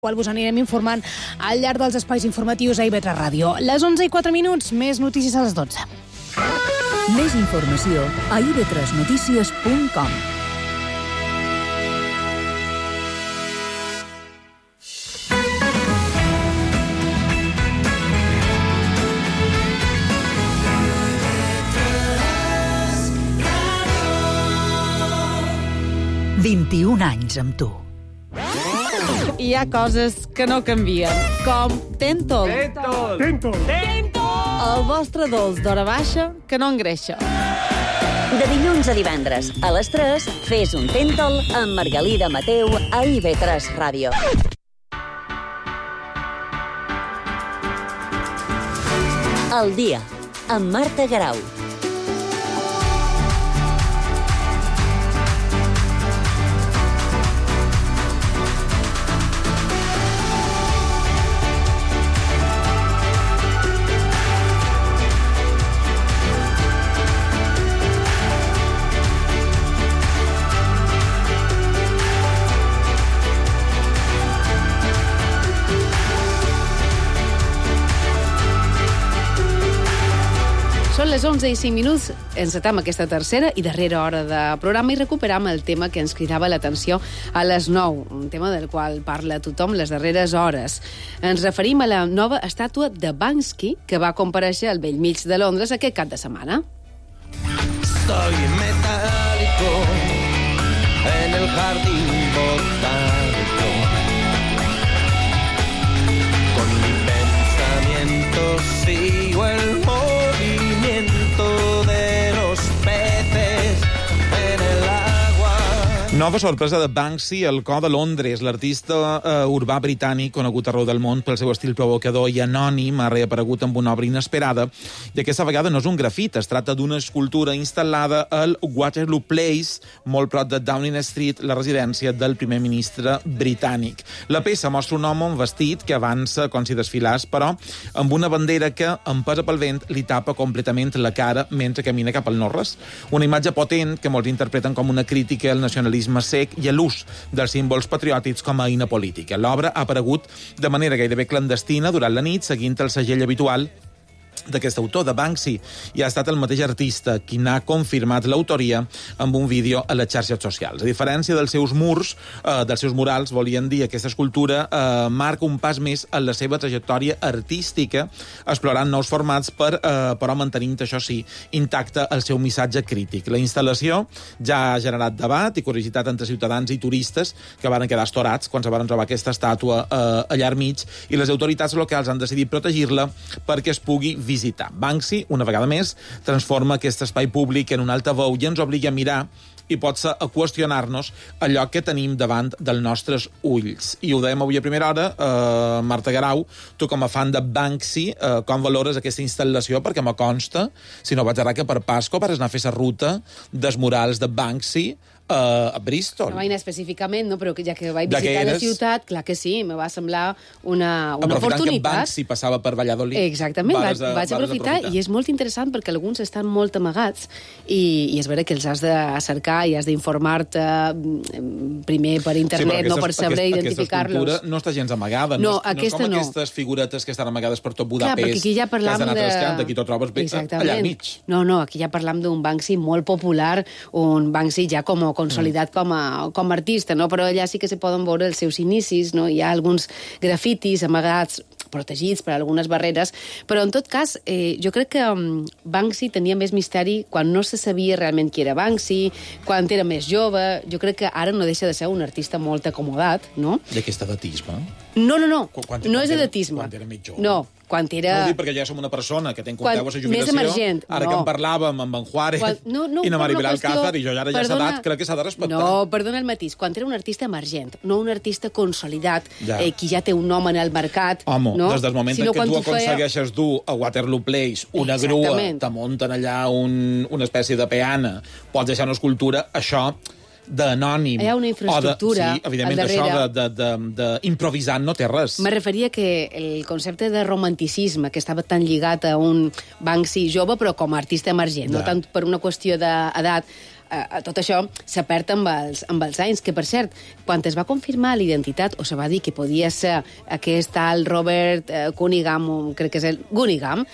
qual vos anirem informant al llarg dels espais informatius a IB3 Ràdio. Les 11:04, més notícies a les 12. Més informació a ib3notícies.com. «21 anys amb tu». Hi ha coses que no canvien, com Tentol. Tentol! El vostre dolç d'hora baixa que no engreixa. De dilluns a divendres, a les 3, fes un Tentol amb Margalida Mateu a IB3 Ràdio. El dia, amb Marta Garau. Són les 11:05, encetem aquesta tercera i darrera hora de programa i recuperam el tema que ens cridava l'atenció a les 9, un tema del qual parla tothom les darreres hores. Ens referim a la nova estàtua de Banksy que va comparèixer al Bellmig de Londres aquest cap de setmana. Soy metálico en el jardín botánico. Con mi pensamiento sigo el movimiento de los peces en el agua. Nova sorpresa de Banksy al cor de Londres. L'artista urbà britànic, conegut arreu del món pel seu estil provocador i anònim, ha reaparegut amb una obra inesperada, i aquesta vegada no és un grafit, es tracta d'una escultura instal·lada al Waterloo Place, molt prop de Downing Street, la residència del primer ministre britànic. La peça mostra un home amb vestit que avança com si desfilàs, però amb una bandera que, empesa pel vent, li tapa completament la cara mentre camina cap al Norres. Una imatge potent que molts interpreten com una crítica al nacionalisme sec i a l'ús dels símbols patriòtics com a eina política. L'obra ha aparegut de manera gairebé clandestina durant la nit, seguint el segell habitual d'aquest autor, de Banksy, i ha estat el mateix artista qui n'ha confirmat l'autoria amb un vídeo a les xarxes socials. A diferència dels seus murs, dels seus murals, volien dir, aquesta escultura marca un pas més en la seva trajectòria artística, explorant nous formats, però mantenint, això sí, intacte el seu missatge crític. La instal·lació ja ha generat debat i curiositat entre ciutadans i turistes que van quedar estorats quan se van trobar aquesta estàtua allà al mig, i les autoritats locals han decidit protegir-la perquè es pugui visitar. Banksy, una vegada més, transforma aquest espai públic en un altaveu i ens obliga a mirar i potser a qüestionar-nos allò que tenim davant dels nostres ulls. I ho dèiem avui a primera hora, Marta Garau, tu com a fan de Banksy, com valores aquesta instal·lació? Perquè me consta, si no vaig errar, que per Pasco vas anar a fer la ruta dels murals de Banksy a Bristol. No vaig anar específicament, no, però ja que vaig visitar la ciutat, clar que sí, me va semblar una oportunitat. Aprofitant que Banksy passava per Valladolid. Exactament, vaig aprofitar, i és molt interessant perquè alguns estan molt amagats i és vera que els has de cercar i has d'informar-te primer per internet, no per saber identificar-los. Aquesta escultura no està gens amagada, no és com aquestes figuretes que estan amagades per tot Budapest, clar, perquè aquí ja parlam que has d'anar trascant, aquí t'ho trobes allà al mig. No, aquí ja parlam d'un Banksy molt popular, un Banksy ja consolidat com a artista, no? Però allà sí que se poden veure els seus inicis, no? Hi ha alguns grafitis amagats, protegits per algunes barreres, però en tot cas jo crec que Banksy tenia més misteri quan no se sabia realment qui era Banksy, quan era més jove. Jo crec que ara no deixa de ser un artista molt acomodat, no? D'aquest edatisme? No és edatisme. Quan era més jove. No, quan era... No ho dic perquè ja som una persona que té en compte la jubilació. Més emergent. Ara que en parlàvem amb en Juárez i na Maribel Alcázar, i jo ara ja s'ha dat, crec que s'ha de respectar. No, perdona el matís. Quan era un artista emergent, no un artista consolidat, qui ja té un nom en el mercat. Home, des del moment en què tu aconsegueixes dur a Waterloo Place una grua, te munten allà una espècie de peana, pots deixar una escultura, això d'anònim. Hi ha una infraestructura sí, evidentment, això d'improvisant no té res. Me referia que el concepte de romanticisme, que estava tan lligat a un Banksy jove, però com a artista emergent, no tant per una qüestió d'edat, tot això se perd amb els anys, que per cert, quan es va confirmar l'identitat, o se va dir que podia ser aquest tal Robert Cunningham, crec que és el Gunningham,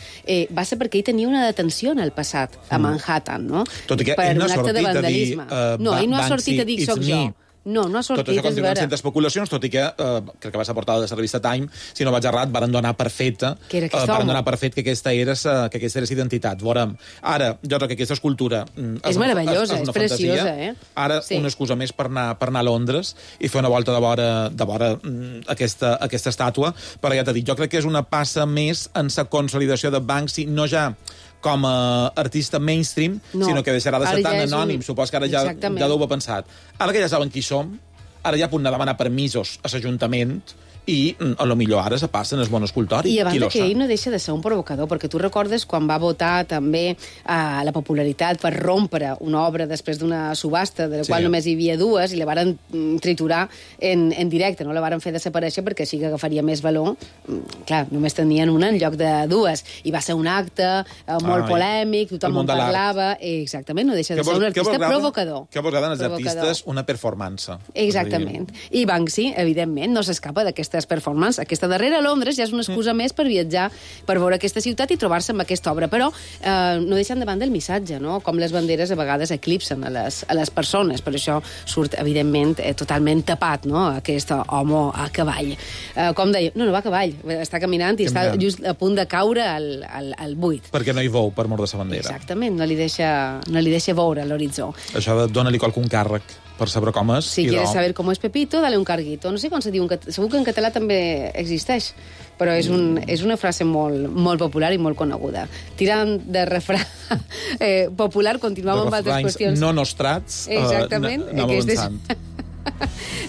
va ser perquè ell tenia una detenció en el passat, a Manhattan, no? Tot i que per ell no un ha acte de sortit a dir... vandalisme. No, ell no ha sortit a dir soc jo. No ha sortit, tot això és continuen vera. sent especulacions, tot i que crec que va ser portada de la revista Time, si no vaig errat, varen donar per feta que era aquest home. varen donar per fet que aquesta era identitat. Veurem, ara, jo crec que aquesta escultura és meravellosa, és preciosa, Ara, sí. una excusa més per anar a Londres i fer una volta de vora aquesta estàtua, però ja t'he dit, jo crec que és una passa més en la consolidació de Banksy, no ja com a artista mainstream, sinó que deixarà de ser tan anònim. Supos que ara ja deu haver pensat. Ara que ja saben qui som, ara ja poden demanar permisos a l'Ajuntament i a lo millor ara se passen el monoscultori. I a banda que ell no deixa de ser un provocador, perquè tu recordes quan va votar també la popularitat per rompre una obra després d'una subhasta, de la qual només hi havia dues, i la varen triturar en directe, no la varen fer desaparèixer perquè així que agafaria més valor. Clar, només tenien una en lloc de dues. I va ser un acte molt polèmic, tothom en parlava. Exactament, no deixa de ser un artista provocador. Que vos agraden els artistes una performance. Exactament. I Banksy, evidentment, no s'escapa d'aquestes performances. Aquesta darrera a Londres ja és una excusa més per viatjar, per veure aquesta ciutat i trobar-se amb aquesta obra. Però no deixen de banda el missatge, no? Com les banderes a vegades eclipsen a les persones. Per això surt, evidentment, totalment tapat, no? Aquest home a cavall. Com deia, no va a cavall, està caminant i està just a punt de caure al buit. Perquè no hi veu per mort de sa bandera. Exactament, no li deixa veure l'horitzó. Això de dona-li qualcun càrrec per saber com és. Si quieres saber com és Pepito, dale un carguito. No sé com se diu, segur que en català també existeix, però és una frase molt popular i molt coneguda. Tirant de refrà popular, continuem amb altres qüestions. No nostrats, exactament. anem avançant.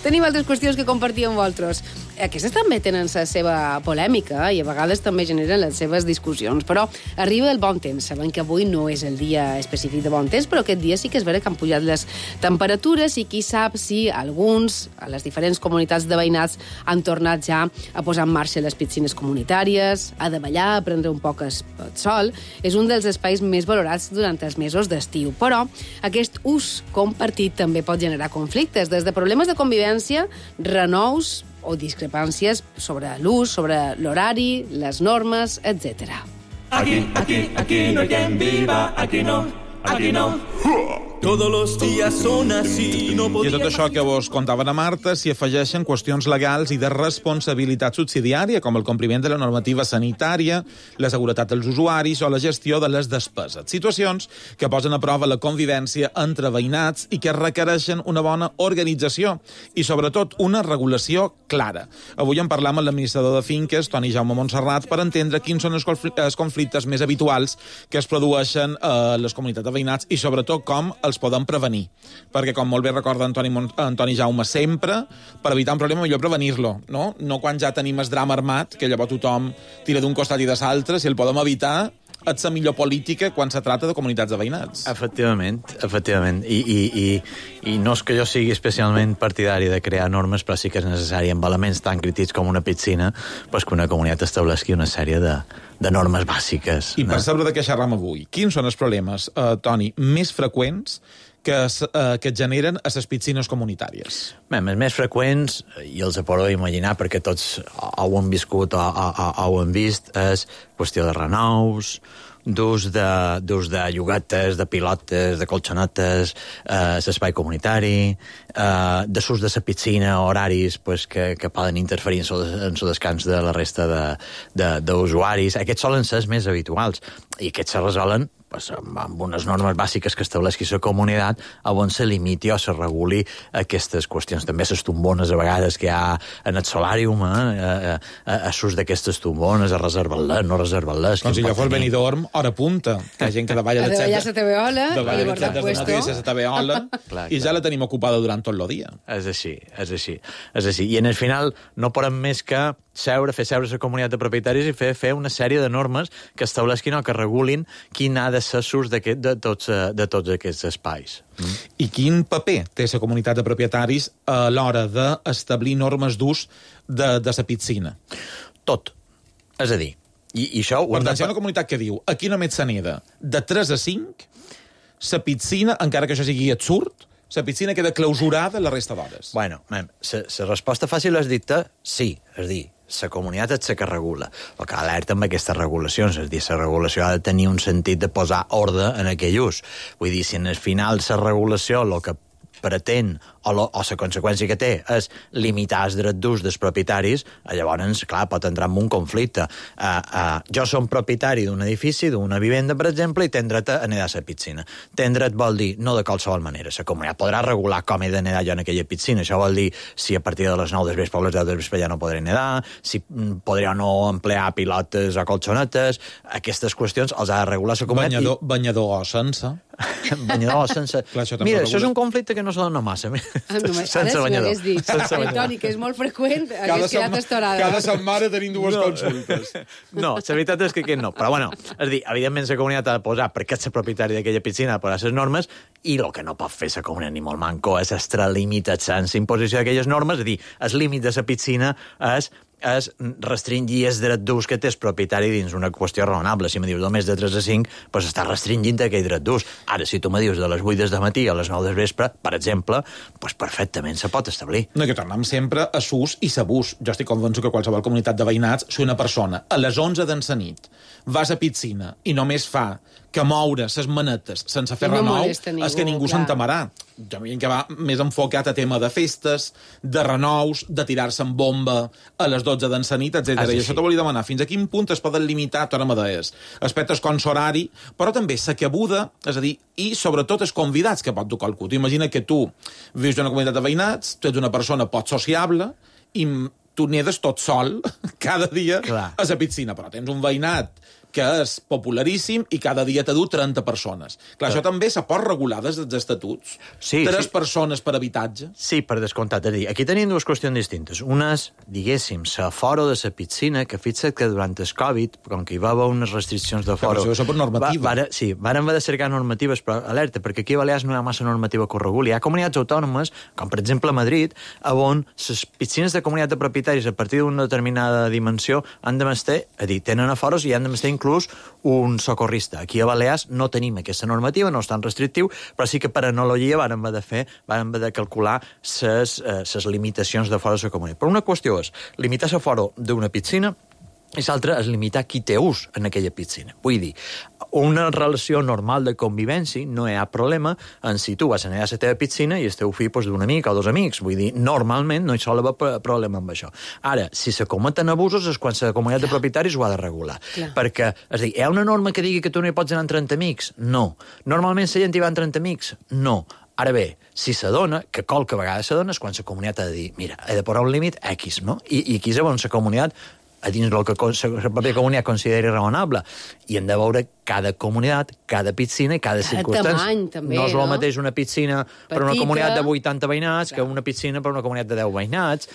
Tenim altres qüestions que compartir amb vosaltres. Aquestes també tenen la seva polèmica i a vegades també generen les seves discussions, però arriba el bon temps. Sabem que avui no és el dia específic de bon temps, però aquest dia sí que és vera que han pujat les temperatures i qui sap si alguns, a les diferents comunitats de veïnats, han tornat ja a posar en marxa les piscines comunitàries, a davallar, a prendre un poc el sol. És un dels espais més valorats durant els mesos d'estiu, però aquest ús compartit també pot generar conflictes, des de problemes de convivència, renous o discrepàncies sobre l'ús, sobre l'horari, les normes, etc. Aquí no hay quien viva, aquí no. Todos los días son así, no I a tot això que vos contaven a Marta s'hi afegeixen qüestions legals i de responsabilitat subsidiària, com el compliment de la normativa sanitària, la seguretat dels usuaris o la gestió de les despeses. Situacions que posen a prova la convivència entre veïnats i que requereixen una bona organització i, sobretot, una regulació clara. Avui en parlam amb l'administrador de finques, Toni Jaume Montserrat, per entendre quins són els conflictes més habituals que es produeixen a les comunitats de veïnats i, sobretot, com els poden prevenir. Perquè, com molt bé recorda Antoni Jaume sempre, per evitar un problema millor prevenir-lo, no? No quan ja tenim el drama armat, que llavors tothom tira d'un costat i de l'altre, si el podem evitar, és la millor política quan se trata de comunitats de veïnats. Efectivament. I no és que jo sigui especialment partidari de crear normes, però sí que és necessari, amb elements tan crítics com una piscina, pues que una comunitat estableixi una sèrie de normes bàsiques. I per saber de què xerram avui, quins són els problemes, Toni, més freqüents que es generen a les piscines comunitàries? Bé, els més freqüents, i els podeu imaginar perquè tots ho han viscut o ho han vist, és qüestió de renous, d'ús de llogates, de pilotes, de colxonetes, l'espai comunitari, d'ús de la piscina, horaris pues, que poden interferir en el descans de la resta d'usuaris. Aquests solen ser els més habituals i aquests se resolen pues, amb unes normes bàsiques que estableixi la comunitat on se limiti o se reguli aquestes qüestions. També les tombones, a vegades, que hi ha en el solàrium, a s'ús d'aquestes tombones, a reservar-les, no reservar-les. Com si allò fos Benidorm, hora punta, que hi ha gent que davalla de la TV-ola, i ja la tenim ocupada durant tot el dia. És així. I en el final no podem més que fer seure la comunitat de propietaris i fer una sèrie de normes que estableixin o que regulin quin ha de ser l'ús de tots aquests espais. I quin paper té la comunitat de propietaris a l'hora d'establir normes d'ús de la piscina? Tot. És a dir, i això... Per tant, si hi ha una comunitat que diu aquí només se neda de 3 a 5, la piscina, encara que això sigui absurd, la piscina queda clausurada la resta d'hores. Bueno, la resposta fàcil és dir-te sí, és dir, la comunitat és la que regula. El que alerta amb aquestes regulacions, és dir, la regulació ha de tenir un sentit de posar ordre en aquell ús. Vull dir, si en el final la regulació el que pretén o la conseqüència que té és limitar els drets d'ús dels propietaris, llavors, clar, pot entrar en un conflicte. Jo som propietari d'un edifici, d'una vivenda, per exemple, i tenc dret a nedar a la piscina. Tenc dret vol dir no de qualsevol manera. La comunitat podrà regular com he de nedar jo en aquella piscina. Això vol dir si a partir de les 9 del vespre o les 10 del vespre ja no podré nedar, si podré o no emplear pilotes o colxonetes. Aquestes qüestions els ha de regular la comunitat. Banyador o sense. Banyador o sense. Clar, mira, això és un conflicte que no se dona massa. Sense banyador. Toni, que és molt freqüent, hagués quedat estorada. Cada setmana tenim dues consultes. No, la veritat és que aquest no. Però, bueno, és dir, evidentment la comunitat ha de posar, perquè ets el propietari d'aquella piscina, ha de posar les normes, i el que no pot fer la comunitat ni molt manco és extralimitar sense imposició d'aquelles normes, és a dir, el límit de la piscina és restringir el dret d'ús que té el propietari dins una qüestió raonable. Si me dius només de 3 a 5, doncs està restringint aquell dret d'ús. Ara, si tu me dius de les 8 del matí a les 9 del vespre, per exemple, doncs perfectament se pot establir. No, que tornem sempre a l'ús i l'abús. Jo estic convençut que qualsevol comunitat de veïnats, si una persona a les 11 de la nit vas a piscina i només fa que moure les manetes sense fer renou, és que ningú s'entamarà. Jo m'hi que va més enfocat a tema de festes, de renous, de tirar-se en bomba a les 12 de la nit, etc. I això t'ho volia demanar. Fins a quin punt es poden limitar, tornem a dir, aspectes com l'horari, però també la cabuda, és a dir, i sobretot els convidats que pot tocar el cul. Imagina que tu vius en una comunitat de veïnats, tu ets una persona poc sociable i tu nedes tot sol cada dia a la piscina, però tens un veïnat que és popularíssim i cada dia t'ha dut 30 persones. Clar, això també se pot regular des dels estatuts. Sí, 3 persones per habitatge. Sí, per descomptat. És a dir, aquí tenim dues qüestions distintes. Una és, diguéssim, l'aforo de la piscina, que fixa't que durant el Covid, com que hi va haver unes restriccions d'aforo... Però això és per normativa. Sí, varen haver de cercar normatives, però alerta, perquè aquí a Balears no hi ha massa normativa que ho reguli. Hi ha comunitats autònomes, com per exemple a Madrid, on les piscines de comunitat de propietaris a partir d'una determinada dimensió han de mestre, és a dir, tenen aforos i han de mestre inclús un socorrista. Aquí a Balears no tenim aquesta normativa, no és tan restrictiu, però sí que per analogia vàrem haver de calcular les limitacions de fora de la comunitat. Però una qüestió és limitar l'aforo d'una piscina i l'altra és limitar qui té ús en aquella piscina. Vull dir, una relació normal de convivència no hi ha problema en si tu vas a anar a la teva piscina i el teu fill d'un amic o dos amics. Vull dir, normalment no hi sol haver problema amb això. Ara, si se cometen abusos és quan la comunitat de propietaris ho ha de regular. Clar. Perquè, és a dir, hi ha una norma que digui que tu no hi pots anar amb 30 amics? No. Normalment la gent hi va amb 30 amics? No. Ara bé, si s'adona, que qualque vegada s'adona, és quan la comunitat ha de dir, mira, he de posar un límit X, no? I aquí és on la comunitat a dins del que la pròpia comunitat consideri raonable. I hem de veure cada comunitat, cada piscina i cada circumstància. Tamany, també, no és el mateix una piscina per una comunitat de 80 veïnats que una piscina per una comunitat de 10 veïnats.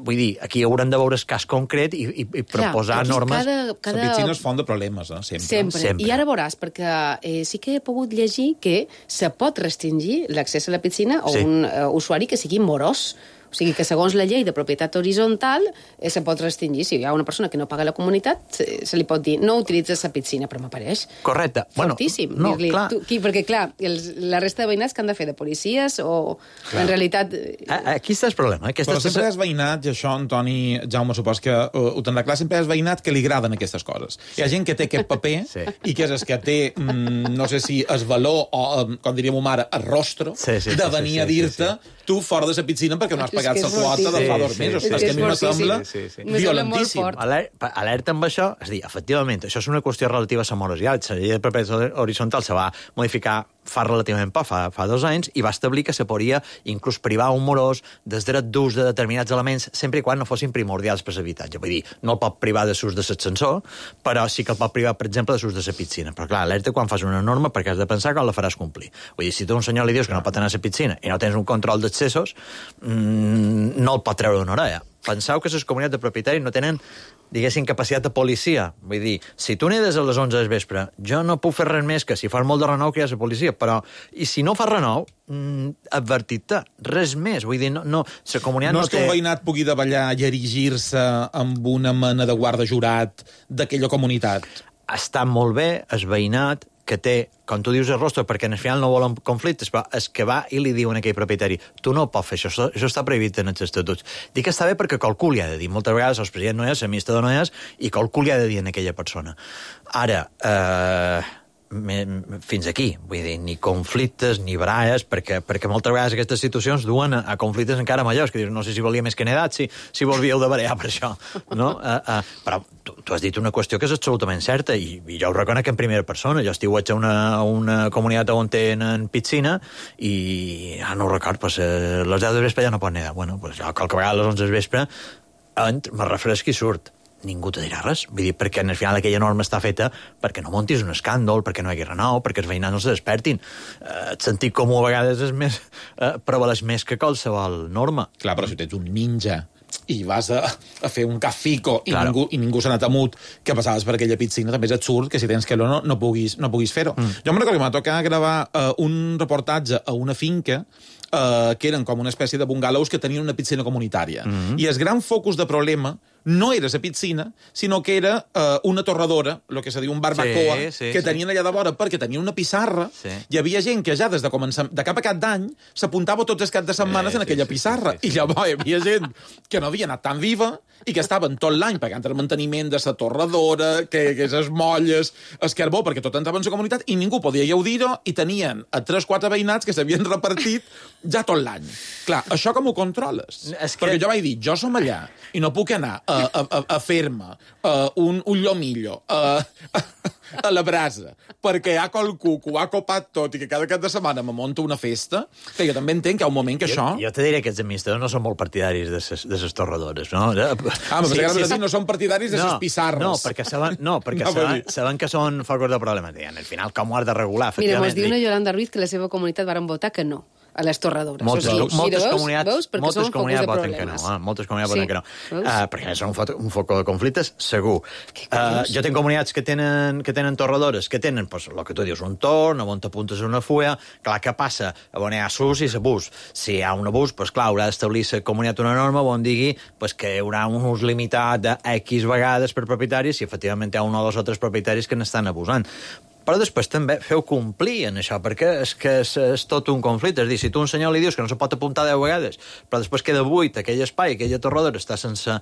Vull dir, aquí haurem de veure el cas concret i proposar normes. La piscina és font de problemes, sempre. I ara veuràs, perquè sí que he pogut llegir que se pot restringir l'accés a la piscina a un usuari que sigui morós. O sigui que segons la llei de propietat horitzontal se pot restringir. Si hi ha una persona que no paga la comunitat, se li pot dir no utilitzes la piscina, però m'apareix. Correcte. Fortíssim. No, clar. Perquè, clar, la resta de veïnats que han de fer de policies o en realitat... Aquí està el problema. Però sempre hi ha veïnat, i això, Antoni, Jaume, supos que ho tindrà clar, sempre hi ha veïnat que li agraden aquestes coses. Hi ha gent que té aquest paper i que és el que té, no sé si el valor o, com diríem mare, el rostro de venir a dir-te tu fora de la piscina perquè no has pagat la quota de fa 2 mesos. És que a mi me sembla violentíssim. Alerta amb això, és a dir, efectivament, això és una qüestió relativa a la morositat. La llei de propietat horitzontal se va modificar fa relativament poc, fa 2 anys, i va establir que se podria inclús privar un morós del dret d'ús de determinats elements sempre i quan no fossin primordials per l'habitatge. Vull dir, no el pot privar de l'ús de l'ascensor, però sí que el pot privar, per exemple, de l'ús de la piscina. Però clar, alerta quan fas una norma perquè has de pensar que la faràs complir. Vull dir, si tu a un senyor li dius que no pot anar a la piscina i no tens un control d'accessos, no el pot treure d'una orella. Penseu que les comunitats de propietaris no tenen, diguéssim, capacitat de policia. Vull dir, si tu nedes a les 11 del vespre, jo no puc fer res més que si fas molt de renou que hi ha la policia, però i si no fas renou, advertit-te, res més. Vull dir, no la comunitat no és que un veïnat pugui davallar i erigir-se amb una mena de guarda jurat d'aquella comunitat. Està molt bé el veïnat que té, com tu dius, el rostre, perquè al final no volen conflictes, però és que va i li diuen a aquell propietari, tu no pots fer això està prohibit en els estatuts. Dic que està bé perquè qualcú li ha de dir. Moltes vegades el president no és, l'administrador no és, i qualcú li ha de dir a aquella persona. Ara, fins aquí, vull dir, ni conflictes ni baralles, perquè moltes vegades aquestes situacions duen a conflictes encara majors, que dius, no sé si volia més que edat, si volvíeu de barallar per això, no? Però tu has dit una qüestió que és absolutament certa, i jo ho reconec en primera persona. Jo estiuig a una comunitat on tenen piscina, i no ho record, pues, les 10 de vespre ja no pot nedar. Bueno, pues jo qualque vegada a les 11 de vespre me refresqui i surt. Ningú te dirà res. Vull dir, perquè al final aquella norma està feta perquè no montis un escàndol, perquè no hi hagi renou, perquè els veïnats no se despertin. El sentit comú a vegades és més, prevaleix més que qualsevol norma. Clar, però si tens un ninja i vas a fer un cafico i Claro. ningú s'ha anat amut que passaves per aquella piscina, també és absurd que si tens calor no puguis fer-ho. Jo me'n recordo que m'ha tocat gravar un reportatge a una finca que eren com una espècie de bungalows que tenien una piscina comunitària. I el gran focus de problema no era la piscina, sinó que era una torradora, el que se diu un barbacoa, que tenien allà de vora perquè tenien una pissarra. Hi havia gent que ja des de cap a cap d'any s'apuntava tots els caps de setmanes en aquella pissarra. I llavors hi havia gent que no havia anat tan viva i que estaven tot l'any pagant el manteniment de la torradora, que les molles, el carbó, perquè tot entrava en la comunitat i ningú podia gaudir-ho, i tenien a 3-4 veïnats que s'havien repartit ja tot l'any. Clar, això com ho controles? Perquè jo vaig dir, jo som allà i no puc anar a fer-me un llomillo a la brasa perquè hi ha qualcú que ho ha copat tot i que cada cap de setmana me monta una festa, que jo també entenc que hi ha un moment que això... Jo te diré que els administradors no són molt partidaris de les torradores, no? No són partidaris de les pissarres. No, perquè saben que són focus de problema. Al final, com ho has de regular? Mira, mos diu una Yolanda Ruiz que la seva comunitat varen votar que no a les torradores. Moltes comunitats voten que no. Moltes comunitats voten que no. Perquè són un foc de conflictes, segur. Jo tinc comunitats que tenen torradores, que tenen, el que tu dius, un torn, on t'apuntes una fulla. Clar, què passa? On hi ha sus i abús. Si hi ha un abús, clar, haurà d'establir la comunitat una norma on digui que hi haurà un ús limitat de X vegades per propietaris i efectivament hi ha un o dos o tres propietaris que n'estan abusant. Però després també feu complir en això, perquè és que és tot un conflicte. És a dir, si tu a un senyor li dius que no se pot apuntar 10 vegades, però després queda buit aquell espai, aquella torradora està sense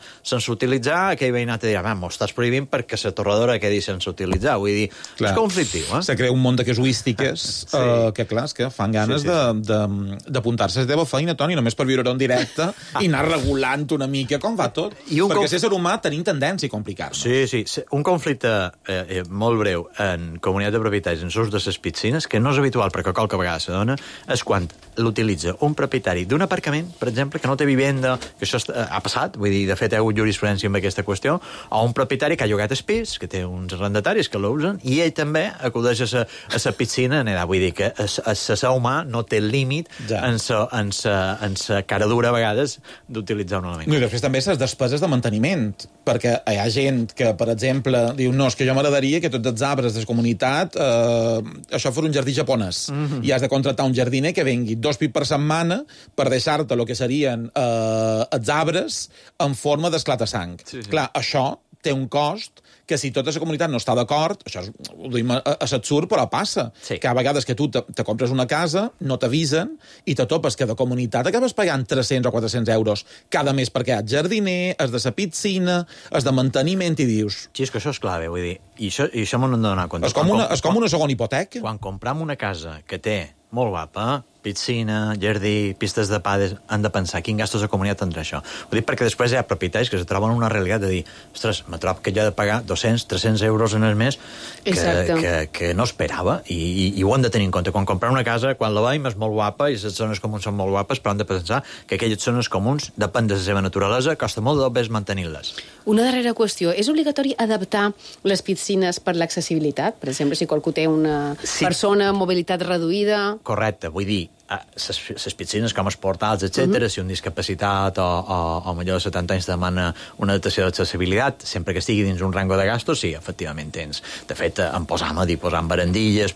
utilitzar, aquell veïnat te dirà, m'ho estàs prohibint perquè la torradora quedi sense utilitzar. Vull dir, és conflictiu. Se crea un munt de casuístiques que, clar, que fan ganes d'apuntar-se a la teva feina, Toni, només per viure-ho en directe i anar regulant una mica com va tot. Perquè ser humà tenim tendència a complicar-nos. Sí. Un conflicte molt breu en comunitat de propietaris en l'ús de les piscines, que no és habitual perquè qualque vegada se dona, és quan l'utilitza un propietari d'un aparcament, per exemple, que no té vivenda, que això ha passat, vull dir, de fet hi ha hagut jurisprudència amb aquesta qüestió, o un propietari que ha llogat el pis, que té uns arrendataris que l'usen, i ell també acudeix a la piscina en edat. Vull dir que l'ésser humà no té límit en la cara dura a vegades d'utilitzar un element. I després també les despeses de manteniment, perquè hi ha gent que, per exemple, diu, no, és que jo m'agradaria que tots els arbres de la comunitat això fos un jardí japonès. I has de contractar un jardiner que vengui 2 pips per setmana per deixar-te el que serien els arbres en forma d'esclata-sang. Clar, això té un cost que si tota la comunitat no està d'acord, això ho dic a l'absurd, però passa. Que a vegades que tu te compres una casa, no t'avisen, i te topes que de comunitat acabes pagant 300 o 400 euros cada mes perquè hi ha jardiner, és de la piscina, és de manteniment, i dius... Sí, és que això és clave, vull dir, i això m'ho hem de donar compte. És com una segona hipoteca. Quan compram una casa que té molt guapa, piscina, jardí, pistes de pades, han de pensar quin gastos de comunitat tindrà això. Ho dic perquè després hi ha propietaris que se troben una realitat de dir, ostres, me trobo que jo he de pagar 200, 300 euros en el mes que no esperava, i ho han de tenir en compte. Quan comprar una casa, quan la veiem, és molt guapa i les zones comuns són molt guapes, però han de pensar que aquelles zones comuns, depèn de la seva naturalesa, costa molt de més mantenir-les. Una darrera qüestió. És obligatori adaptar les piscines per l'accessibilitat? Per exemple, si qualcú té una persona amb mobilitat reduïda... Correcte, vull dir, les piscines com els portals, etc. Si un discapacitat o millor de 70 anys demana una adaptació d'accessibilitat, sempre que estigui dins un rango de gastos, sí, efectivament tens. De fet, en posam barandilles,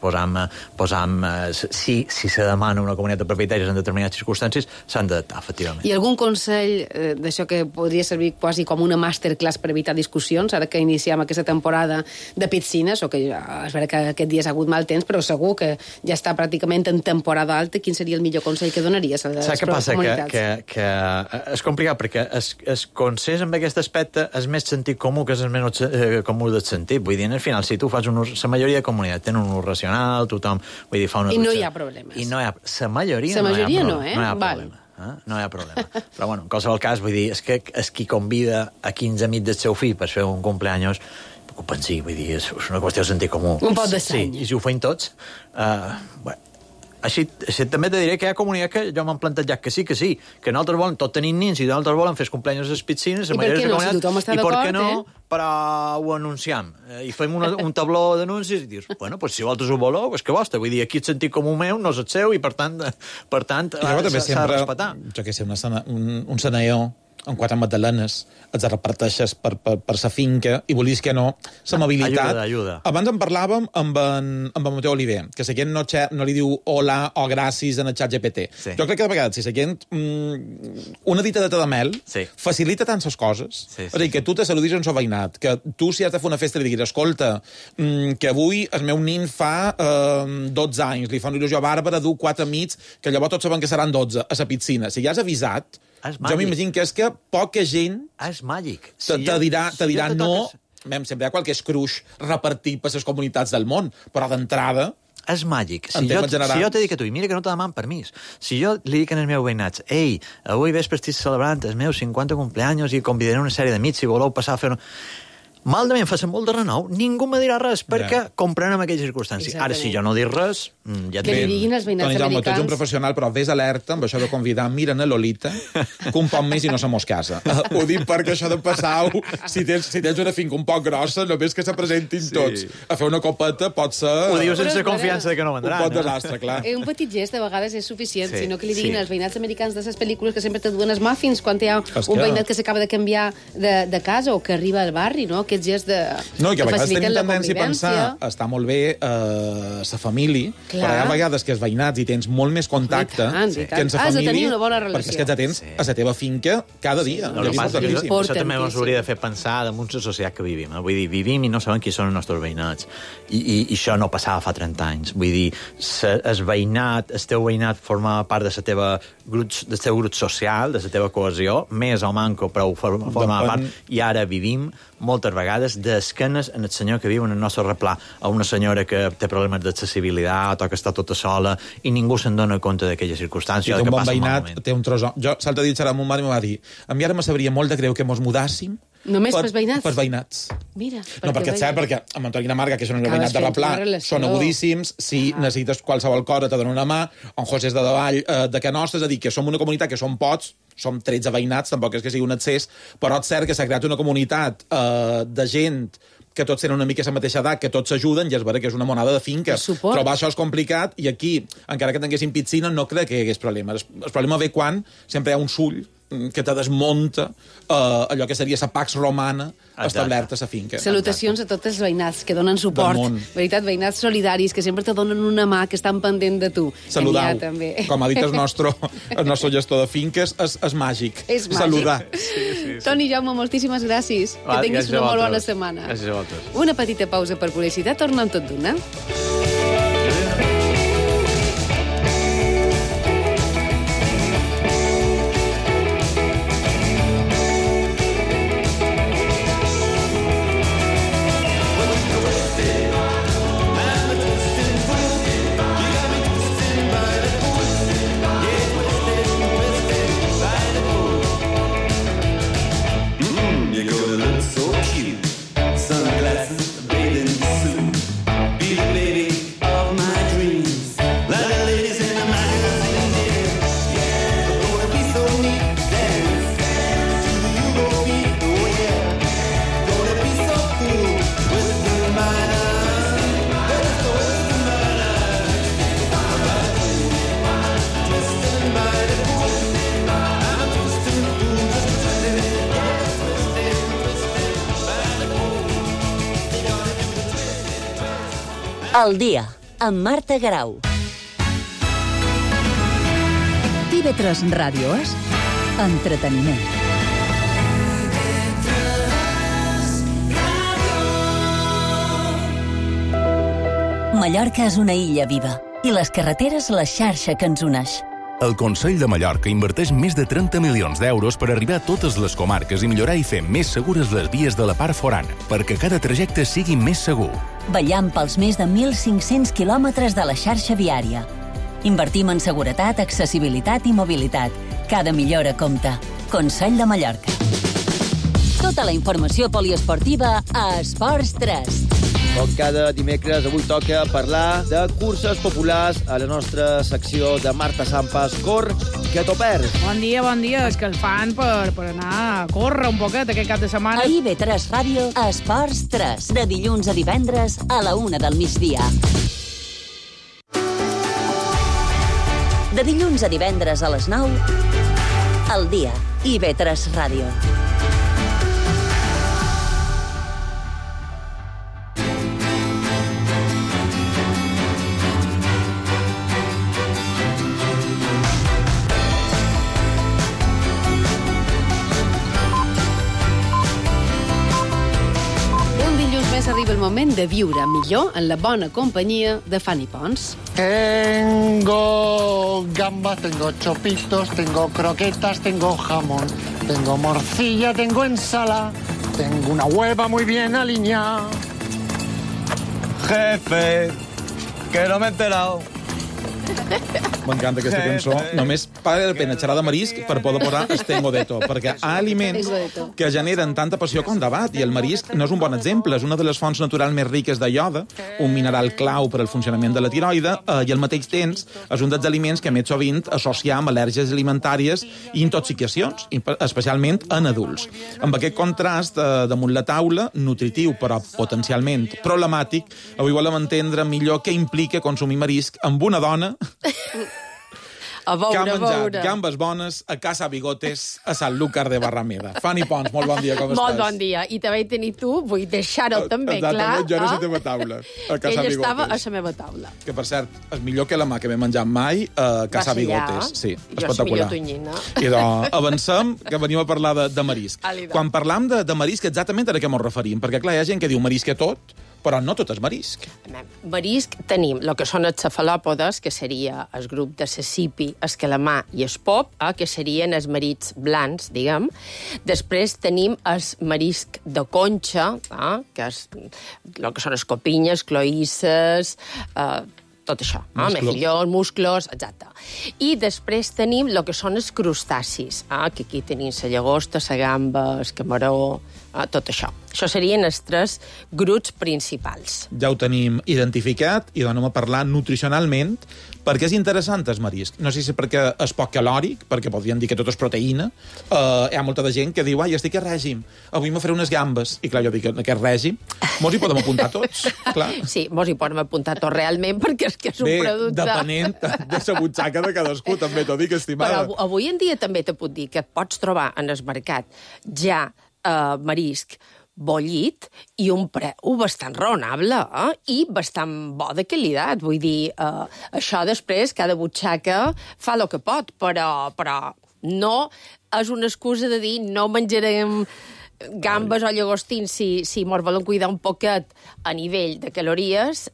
si se demana una comunitat de propietaris en determinades circumstàncies, s'han d'adaptar, efectivament. I algun consell d'això que podria servir quasi com una masterclass per evitar discussions, ara que iniciem aquesta temporada de piscines, o que és vera que aquest dia ha hagut mal temps, però segur que ja està pràcticament en temporada alta, quin seria el millor consell que donaries a les comunitats? Que és complicat, perquè el consens en aquest aspecte és més sentit comú que és el menys comú del sentit. Vull dir, al final, si tu fas la majoria de comunitat tenen un ús racional, tothom... Vull dir, fa una... I no hi ha problemes. I no hi ha... La majoria no hi ha problema. No hi ha problema. Però, bueno, en qualsevol cas, vull dir, és qui convida a 15 amics del seu fill per fer un cumpleaños, que ho pensi, vull dir, és una qüestió de sentit comú. Un pot d'estrany. Sí, i si ho feim tots, bueno, així també te diré que hi ha comunitats que jo m'han plantejat que sí, que nosaltres volen, tot tenim nins, i nosaltres volen fer els cumpleaños a les piscines, i per què no, si tothom està d'acord, i per què no, però ho anunciem, i fem un tabló d'anuncis, i dius, bueno, pues si vosaltres ho voleu, és que vostre, vull dir, aquí el sentit comú meu no és el seu, i per tant s'ha de respetar. Jo que sé, un senador amb 4 magdalenes, els reparteixes per la finca, i volies que no, l'amabilitat... Ajuda. Abans en parlàvem amb en Mateu Oliver, que la gent no li diu hola o gràcies en el xat GPT. Sí. Jo crec que de vegades, si la gent una dita de mel, facilita tant les coses. Sí. És a dir, que tu te saludis en el veïnat, que tu, si has de fer una festa, li diguis, escolta, que avui el meu nin fa 12 anys, li fa una il·lusió bàrbara, du 4 amics, que llavors tots saben que seran 12 a la piscina. Si ja has avisat, jo m'imagino que és que poca gent és màgic. Te dirà no, sempre hi ha qualque escruix repartit per les comunitats del món, però d'entrada... És màgic. Si jo te dic a tu, i mira que no te deman permís, si jo li dic als meus veïnats, ei, avui vespre estic celebrant els meus 50 cumpleaños i convidaré una sèrie d'amics si voleu passar a fer... Malament, fa molt de renou, ningú me dirà res, perquè comprenem aquelles circumstàncies. Ara, si jo no dic res, ja que li diguin els veïnats americans... Tu ets un professional, però vés alerta amb això de convidar Miren a Lolita, que un poc més i no se mos casa. Ho dic perquè això de passar, si tens una finca un poc grossa, només que se presentin tots a fer una copeta pot ser... Ho dius sense confiança de que no vendran. Un pot desastre, clar. Un petit gest de vegades és suficient, sinó que li diguin als veïnats americans de les pel·lícules que sempre te duen els muffins quan hi ha un veïnat que s'acaba de canviar de casa o que arriba al barri, no? Aquest gest de... No, que a vegades tenim tendència a pensar està molt bé la família, però hi ha vegades que els veïnats hi tens molt més contacte que en la família, has de tenir una bona relació, perquè és que ja tens a la teva finca cada dia. No, el que passa és que això també ens hauria de fer pensar damunt la societat que vivim. Vull dir, vivim i no sabem qui són els nostres veïnats. I això no passava fa 30 anys. Vull dir, el teu veïnat formava part del teu grup social, de la teva cohesió, més o manco, però ho formava part, i ara vivim moltes vegades d'esquenes en el senyor que viu en el nostre replà, a una senyora que té problemes d'accessibilitat o que està tota sola i ningú se'n dona compte d'aquella circumstància. I un bon veïnat té un tros... Jo, l'altre dia serà amb un mare i m'ho va dir, a mi ara me sabria molt de greu que mos mudàssim només pels veïnats? Pels veïnats. Mira, no, perquè és cert, perquè amb Antoni i Marga, que són el veïnat de Replà, són agudíssims, si necessites qualsevol cosa te donen una mà, en José és de davall de Can Nostra, és a dir, que som una comunitat que som pocs, som 13 veïnats, tampoc és que sigui un excés, però és cert que s'ha creat una comunitat de gent que tots tenen una mica la mateixa edat, que tots s'ajuden, i és vera que és una monada de finca. Trobar això és complicat, i aquí, encara que tinguéssim piscina, no crec que hi hagués problema. El problema ve quan sempre hi ha un sull que te desmunta allò que seria la pax romana establerta a la finca. Salutacions a tots els veïnats que donen suport. Veritat, veïnats solidaris, que sempre te donen una mà, que estan pendent de tu. Saludau. Com ha dit el nostre gestor de finques, és màgic. És màgic. Saludar. Toni Jaume, moltíssimes gràcies. Que tinguis una molt bona setmana. Gràcies a vosaltres. Una petita pausa per publicitat, tornem tot d'una. Sunglasses, bathing suit. Be the lady Al dia, amb Marta Garau. TV3 Ràdio és entreteniment. Mallorca és una illa viva i les carreteres la xarxa que ens uneix. El Consell de Mallorca inverteix més de 30 milions d'euros per arribar a totes les comarques i millorar i fer més segures les vies de la part forana, perquè cada trajecte sigui més segur. Vetllant pels més de 1.500 quilòmetres de la xarxa viària. Invertim en seguretat, accessibilitat i mobilitat. Cada millora compta. Consell de Mallorca. Tota la informació poliesportiva a Esports 3. Com cada dimecres, avui toca parlar de curses populars a la nostra secció de Marta Sampas. Cor, que t'ho perds. Bon dia. És que el fan per anar a córrer un poquet aquest cap de setmana. A IB3 Ràdio, Esports 3. De dilluns a divendres a la 1 del migdia. De dilluns a divendres a les 9, al dia, IB3 Ràdio. Arriba el moment de viure millor en la bona companyia de Fanny Pons. Tengo gambas, tengo chopitos, tengo croquetas, tengo jamón, tengo morcilla, tengo ensalada, tengo una hueva muy bien alineada. Jefe, que no m'he enterado. M'encanta aquesta cançó. Només val la pena xerrar de marisc per poder posar Estengo de to, perquè hi ha aliments que generen tanta passió com debat, i el marisc no és un bon exemple. És una de les fonts naturals més riques de ioda, un mineral clau per al funcionament de la tiroide, i al mateix temps és un dels aliments que més sovint associem amb al·lèrgies alimentàries i intoxicacions, especialment en adults. Amb aquest contrast damunt la taula, nutritiu però potencialment problemàtic, avui volem entendre millor què implica consumir marisc amb una dona A veure, que ha menjat gambes bones a Casa Bigotes, a Sanlúcar de Barrameda. Fanny Pons, molt bon dia, com estàs? Molt bon dia. I també tenir tu, vull deixar-ho també clar. Jo era a la teva taula, a Casa Bigotes. Ell estava a la meva taula. Que, per cert, és millor que la mà que m'he menjat mai a Casa Bigotes. Sí, espectacular. Jo soy tonyina. I doncs, avancem, que venim a parlar de marisc. Quan parlam de marisc, exactament a què ens referim? Perquè, clar, hi ha gent que diu marisc a tot, però no tot és marisc. Marisc tenim el que són els cefalòpodes, que seria el grup de cecipi, el calamar i el pop, que serien els mariscs blancs, diguem. Després tenim el marisc de conxa, que és el que són escopinyes, cloïsses, tot això, mejillons, musclos, exacte. I després tenim el que són els crustacis, que aquí tenim la llagosta, la gamba, el camaró, tot això. Això serien els 3 grups principals. Ja ho tenim identificat i anem a parlar nutricionalment, perquè és interessant el marisc. No sé si perquè és poc calòric, perquè podríem dir que tot és proteïna. Hi ha molta de gent que diu, estic a règim, avui me faré unes gambes. I clar, jo dic, en aquest règim, mos hi podem apuntar tots, clar. Sí, mos hi podem apuntar tots realment, perquè és que és un producte... Bé, depenent de la butxaca de cadascú, també t'ho dic, estimada. Però avui en dia també te puc dir que et pots trobar en el mercat ja marisc bollit i un preu bastant raonable i bastant bo de qualitat. Vull dir, això després, cada butxaca fa el que pot, però no és una excusa de dir no menjarem gambes o llagostins si mos volen cuidar un poquet a nivell de calories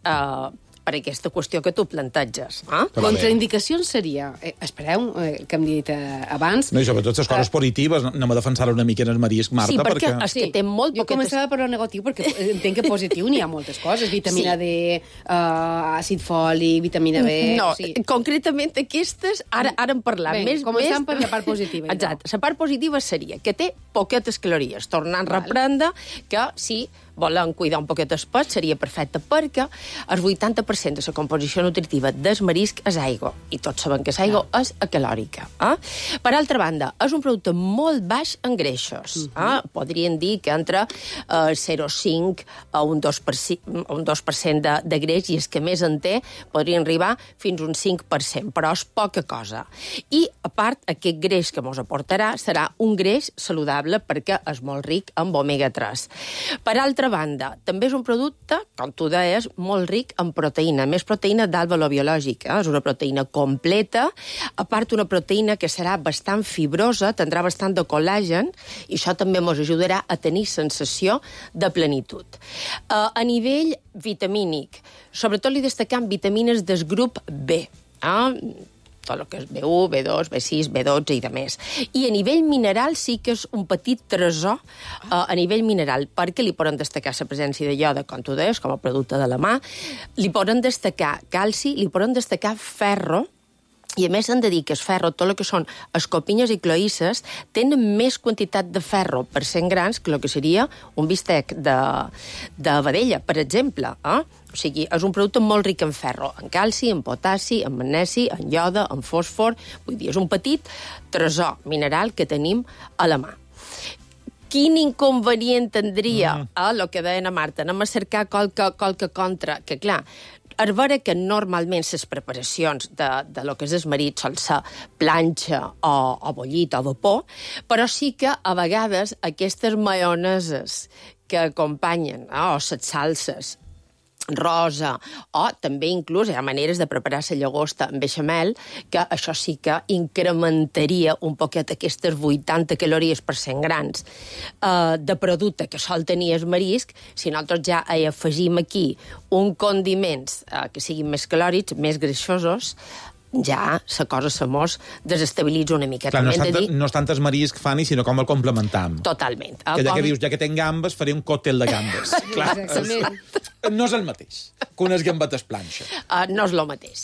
per aquesta qüestió que tu planteges. Contraindicacions seria, espereu, que hem dit abans... No, i sobretot les coses positives, anem a defensar una mica en el marisc, Marta, sí, perquè... és que té molt poquetes... Jo començava per lo negatiu, perquè entenc que positiu n'hi ha moltes coses, vitamina D, àcid fòlic, vitamina B... No, concretament aquestes, ara en parlam. Començant per la part positiva. Exacte, la part positiva seria que té poquetes calories, tornant a reprendre que si volen cuidar un poquet el pes seria perfecte, perquè el 80% de la composició nutritiva del marisc és aigua, i tots sabem que l'aigua és acalòrica. Per altra banda, és un producte molt baix en greixos. Podríem dir que entre 0,5 a un 2% de greix, i els que més en té podrien arribar fins a un 5%, però és poca cosa. I, a part, aquest greix que ens aportarà serà un greix saludable perquè és molt ric en omega-3. Per altra altra banda, també és un producte, com tu deies, molt ric en proteïna, més proteïna d'alt valor biològic. És una proteïna completa, a part una proteïna que serà bastant fibrosa, tindrà bastant de col·làgen, i això també ens ajudarà a tenir sensació de plenitud. A nivell vitamínic, sobretot li destacam vitamines del grup B, tot el que és B1, B2, B6, B12 i de més. I a nivell mineral sí que és un petit tresor a nivell mineral, perquè li poden destacar la presència de ioda, com tu deies, com a producte de la mà, li poden destacar calci, li poden destacar ferro, i a més s'han de dir que el ferro, tot el que són escopinyes i cloïsses, tenen més quantitat de ferro per 100 grans que el que seria un bistec de vedella, per exemple. O sigui, és un producte molt ric en ferro, en calci, en potassi, en magnesi, en ioda, en fòsfor. Vull dir, és un petit tresor mineral que tenim a la mà. Quin inconvenient tindria, el que deia a Marta, anem a cercar qualque contra, que clar, és vera que normalment les preparacions de lo que és el marit sol ser planxa o bullit o vapor, però sí que a vegades aquestes maioneses que acompanyen, o les salses, rosa, o també inclús hi ha maneres de preparar la llagosta amb beixamel, que això sí que incrementaria un poquet aquestes 80 calories per 100 grans de producte que sol tenir el marisc. Si nosaltres ja hi afegim aquí un condiments que siguin més calòrics, més greixosos, ja la cosa se mos desestabilitza una mica. Clar, no és tant el marisc, Fanny, sinó com el complementam. Totalment. Que ja que dius, ja que tenc gambes, faré un còctel de gambes. Clar, no és el mateix que unes gambetes planxa. No és el mateix,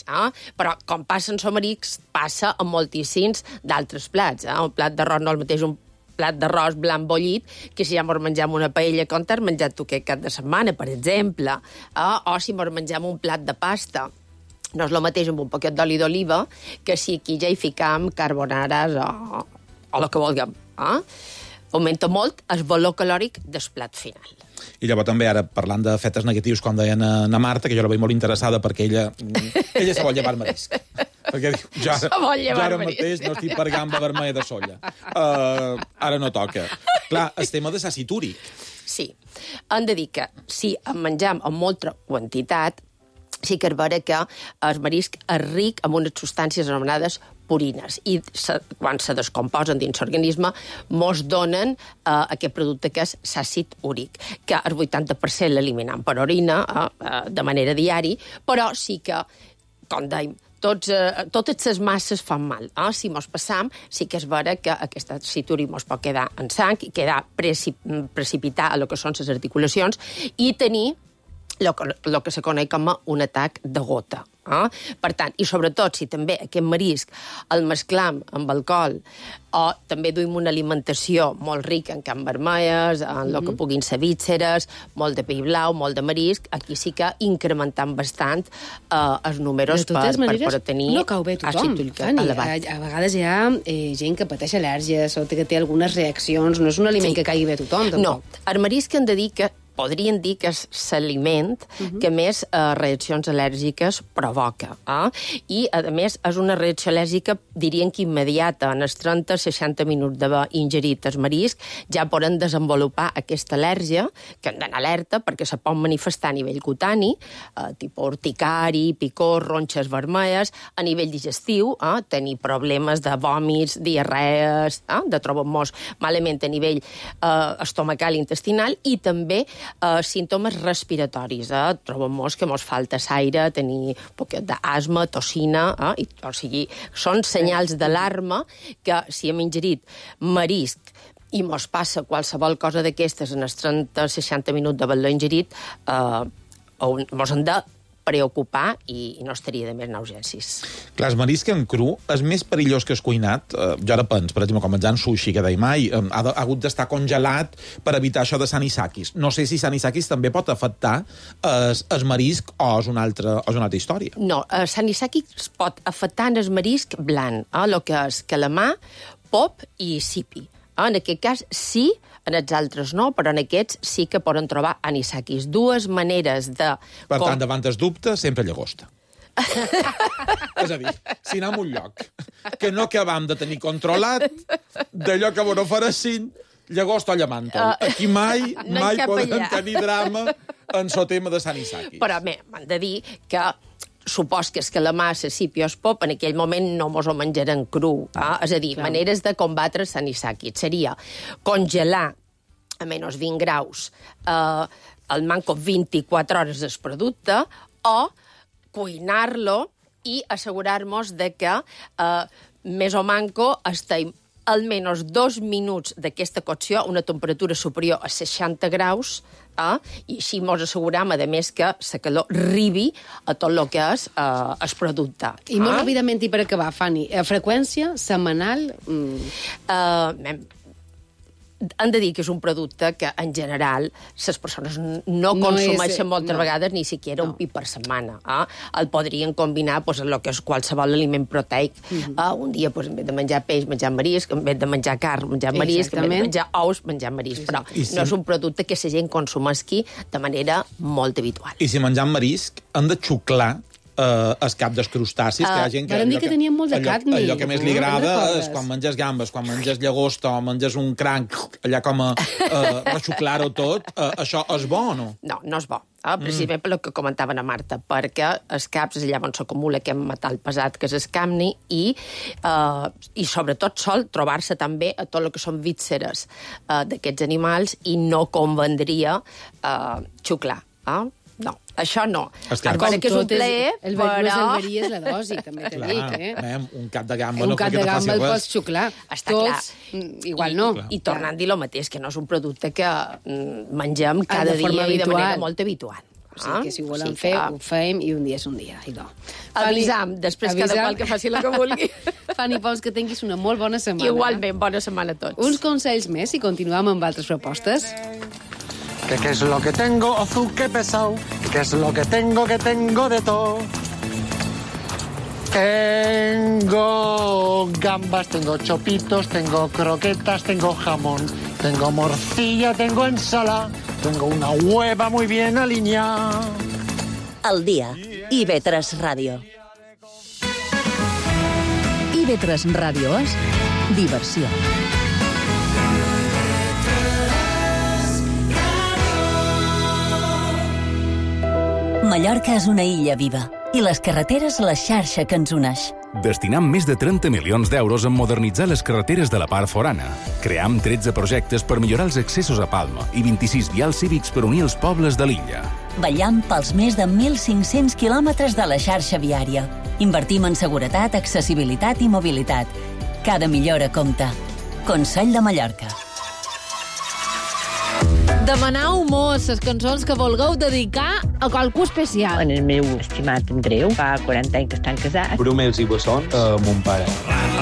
però com passa en somarics, passa en moltíssims d'altres plats. Un plat d'arròs no és el mateix un plat d'arròs blanc bullit que si ja mos mengem una paella com t'has menjat tu aquest cap de setmana, per exemple, o si mos mengem un plat de pasta. No és el mateix amb un poquet d'oli d'oliva que si aquí ja hi ficam carbonares o el que vulguem. Augmenta molt el valor calòric del plat final. I llavors també ara, parlant d'efectes negatius, com deien a Marta, que jo la veig molt interessada perquè ella se vol llevar el marisc. Perquè diu, ja ara mateix no estic per gamba vermella de solla. Ara no toca. Clar, el tema de l'àcid úric. Sí. Hem de dir que si en menjam en molta quantitat, sí que és vera que el marisc és ric en unes substàncies anomenades purines i quan se descomposen dins l'organisme mos donen aquest producte que és l'àcid úric, que el 80% l'eliminem per orina de manera diària, però sí que, com dèiem, totes les masses fan mal. Si mos passam, sí que és vera que aquest àcid úric mos pot quedar en sang i quedar precipitar a lo que són les articulacions i tenir el que se coneix com un atac de gota. Per tant, i sobretot, si també aquest marisc el mesclam amb alcohol o també duim una alimentació molt rica en carn vermelles, en el que puguin ser vísceres, molt de pell blau, molt de marisc, aquí sí que incrementant bastant els números per poder tenir no cau bé tothom, elevat. A vegades hi ha gent que pateix al·lèrgies o que té algunes reaccions, no és un aliment que caigui bé a tothom, tampoc. No, el marisc hem de dir que podrien dir que és l'aliment que més reaccions al·lèrgiques provoca. I, a més, és una reacció al·lèrgica, dirien que immediata. En els 30-60 minuts d'haver ingerit el marisc ja poden desenvolupar aquesta al·lèrgia, que hem d'anar alerta perquè se pot manifestar a nivell cutani, tipus urticari, picor, ronxes vermelles, a nivell digestiu, tenir problemes de vòmits, diarrees, de trobar-nos malament a nivell estomacal i intestinal, i també símptomes respiratoris. Trobem-nos que mos falta aire, tenir un poquet d'asma, tossina, o sigui, són senyals d'alarma que si hem ingerit marisc i mos passa qualsevol cosa d'aquestes en els 30-60 minuts d'haver-lo ingerit, mos hem de preocupar i no estaria de més anar a urgències. Clar, el marisc en cru és més perillós que el cuinat. Jo ara penso, per exemple, com menjant sushi, que deia mai, ha hagut d'estar congelat per evitar això de anisakis. No sé si anisakis també pot afectar el marisc o és una altra història. No, anisakis pot afectar el marisc blanc, el que és calamar, pop i sipi. En aquest cas sí, en els altres no, però en aquests sí que poden trobar anisakis. Dues maneres de... Per tant, davant el dubte, sempre llagosta. És a dir, si anem a un lloc que no acabam de tenir controlat, d'allò que vos ofereixin, llagost o llamàntol. Aquí mai poden allà. tenir drama en el tema de Sanisakis. Però m'han de dir que supos que és que la massa sipios pop en aquell moment no mos ho menjaren cru. És a dir, maneres de combatre Sanisakis. Seria congelar a menys 20 graus al manco 24 hores del producte o cuinar-lo i assegurar-nos de que més o manco estem almenys 2 minuts d'aquesta cocció a una temperatura superior a 60 graus i així ens asseguram, a més, que la calor arribi a tot el que és el producte. I molt ràpidament, i per acabar, Fanny, freqüència setmanal? Han de dir que és un producte que, en general, les persones no consumeixen moltes vegades ni siquiera un pi per setmana. El podrien combinar amb el que és qualsevol aliment proteic. Un dia, en vez de menjar peix, menjar marisc, en vez de menjar carn, menjar marisc, en vez de menjar ous, menjar marisc. Però no és un producte que la gent consumeixi de manera molt habitual. I si menjam marisc, hem de xuclar el cap dels crustacis, que hi ha gent que... Vam dir que tenien molt de cadmi. Allò que més li agrada és quan menges gambes, quan menges llagosta o menges un cranc, allà com a rexuclar-ho tot, això és bo o no? No, no és bo. Precisament per el que comentaven a Marta, perquè els caps és allà on s'acumula aquest metall pesat que és el cadmi i sobretot sol trobar-se també a tot el que són vísceres d'aquests animals i no convendria xuclar. No, això no. Com que és un plaer, el verí és la dosi, també t'he dit. Un cap de gamba un cap de gamba el pots xuclar. Està clar. Igual no. I tornant a dir el mateix, que no és un producte que mengem cada dia i de manera molt habitual. O sigui que si ho volem fer, ho fem i un dia és un dia. Avisam, després cada qual que faci el que vulgui. Fanny Pons, que tinguis una molt bona setmana. Igualment, bona setmana a tots. Uns consells més i continuem amb altres propostes. ¿Qué es lo que tengo? Azúcar pesado. ¿Qué es lo que tengo de todo? Tengo gambas, tengo chopitos, tengo croquetas, tengo jamón, tengo morcilla, tengo ensalada, tengo una hueva muy bien alineada. Al dia, IB3 Ràdio. IB3 Ràdio és diversió. Mallorca és una illa viva i les carreteres la xarxa que ens uneix. Destinam més de 30 milions d'euros en modernitzar les carreteres de la part forana. Cream 13 projectes per millorar els accessos a Palma i 26 vials cívics per unir els pobles de l'illa. Vetllam pels més de 1.500 quilòmetres de la xarxa viària. Invertim en seguretat, accessibilitat i mobilitat. Cada millora compta. Consell de Mallorca. Demanau mos les cançons que vulgueu dedicar a qualcú especial. En el meu estimat Andreu, fa 40 anys que estan casats. Brumels i bessons a mon pare.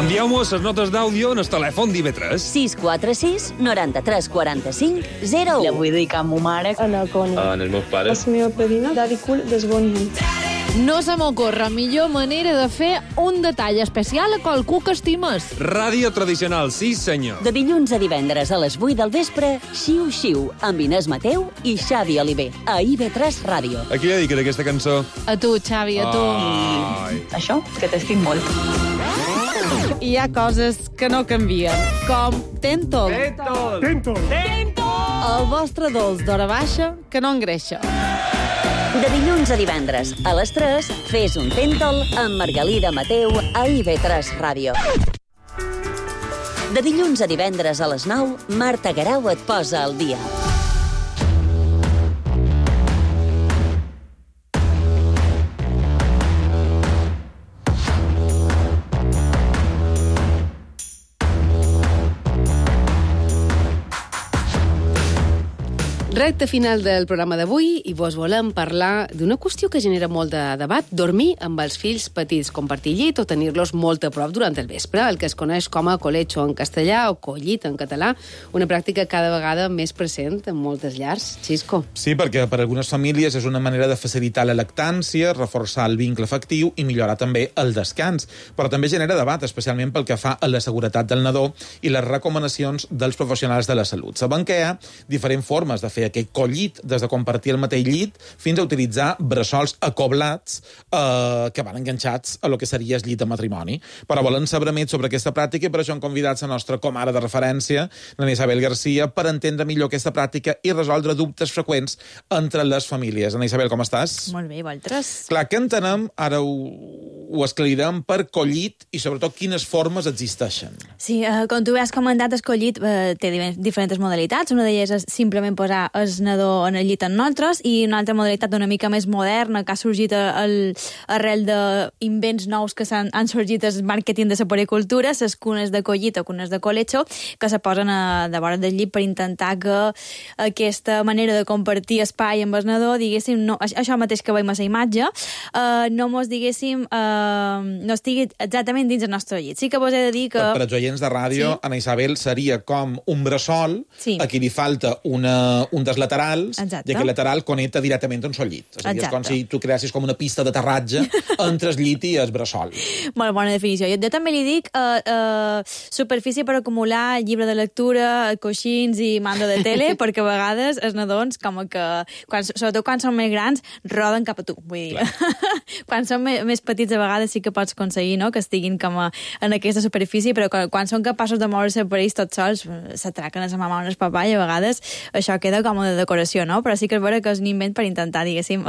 Envieu-mos les notes d'àudio en el telèfon d'IV3. 646 93 45 01. La vull dedicar a ma mare. En el Coni. En els meus pares. La meva padrina, Daddy Cool, desbonint. No se m'ocorre millor manera de fer un detall especial a qualcú que estimes. Ràdio tradicional, sí senyor. De dilluns a divendres a les 8 del vespre, Xiu Xiu, amb Inés Mateu i Xavi Oliver, a IB3 Ràdio. A qui li dedicaré aquesta cançó? A tu, Xavi, a tu. Això, que t'estim molt. Hi ha coses que no canvien, com Tentol. Tentol. El vostre dolç d'hora baixa que no engreixa. De dilluns a divendres, a les 3, fes un Tentol amb Margalida Mateu a IB3 Ràdio. De dilluns a divendres a les 9, Marta Garau et posa al dia. Recte final del programa d'avui i vos volem parlar d'una qüestió que genera molt de debat, dormir amb els fills petits, compartir llit o tenir-los molt a prop durant el vespre, el que es coneix com a colecho en castellà o collit en català, una pràctica cada vegada més present en moltes llars. Xisco. Sí, perquè per algunes famílies és una manera de facilitar la lactància, reforçar el vincle afectiu i millorar també el descans, però també genera debat, especialment pel que fa a la seguretat del nadó i les recomanacions dels professionals de la salut. Sabem que hi ha diferents formes de fer aquest collit, des de compartir el mateix llit fins a utilitzar bressols acoblats que van enganxats a lo que seria el llit de matrimoni. Però volen saber més sobre aquesta pràctica i per això hem convidat la nostra comare de referència, la Isabel Garcia, per entendre millor aquesta pràctica i resoldre dubtes freqüents entre les famílies. Ana Isabel, com estàs? Molt bé, vosaltres? Clar, què entenem, ara ho esclarirem, per collit i sobretot quines formes existeixen. Sí, com tu has comentat, el collit té diferents modalitats. Una d'elles és simplement posar el nadó en el llit amb nosaltres i una altra modalitat una mica més moderna que ha sorgit arrel d'invents nous que han sorgit el màrqueting de la puericultura, les cunes de collit o cunes de colecho, que se posen de vora del llit per intentar que aquesta manera de compartir espai amb el nadó, diguéssim, no, això mateix que veiem a la imatge, no mos, diguéssim, no estigui exactament dins el nostre llit. Sí que vos he de dir que... Per als oients de ràdio, sí? Ana Isabel seria com un bressol, sí. A qui li falta un dels laterals, exacte. I aquest lateral connecta directament amb el llit. És a dir, és com si tu creassis com una pista d'aterratge entre el llit i el bressol. Molt bona definició. Jo també li dic superfície per acumular llibre de lectura, coixins i mando de tele, perquè a vegades els nadons, com que, sobretot quan són més grans, roden cap a tu. Vull dir, quan són més petits, a vegades sí que pots aconseguir, no?, que estiguin com en aquesta superfície, però quan són capaços de moure-se per ells tots sols, s'atraquen a la mama o al papà i a vegades això queda com de decoració, no? Però sí que és vera que és un invent per intentar, diguéssim,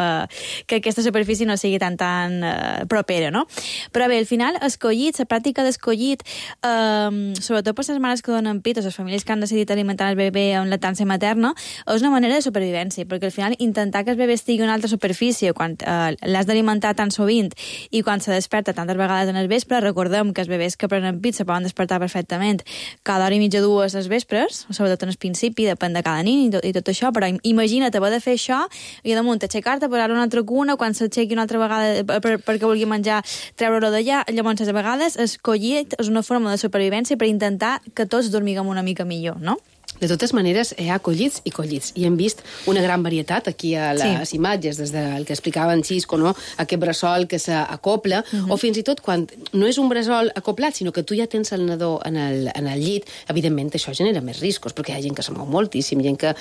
que aquesta superfície no sigui tan propera, no? Però bé, al final, escollit, la pràctica d'escollit, sobretot per les mares que donen pit o les famílies que han decidit alimentar el bebè amb lactància materna, és una manera de supervivència, perquè al final intentar que el bebè estigui en una altra superfície quan l'has d'alimentar tan sovint i quan se desperta tantes vegades en el vespre, recordem que els bebès que prenen pit se poden despertar perfectament cada hora i mitja, dues les vespres, sobretot en el principi, depèn de cada nin i tot això, però imagina't haver de fer això i damunt aixecar-te, posar una altra cuna, quan s'aixequi una altra vegada perquè vulgui menjar, treure-ho d'allà. Llavors, a vegades, el collit és una forma de supervivència per intentar que tots dormiguem una mica millor, no? De totes maneres, hi ha collits i collits. I hem vist una gran varietat aquí a les imatges, des del que explicava en Xisco, no? Aquest bressol que s'acopla, o fins i tot quan no és un bressol acoplat, sinó que tu ja tens el nadó en el llit, evidentment això genera més riscos, perquè hi ha gent que se mou moltíssim, gent que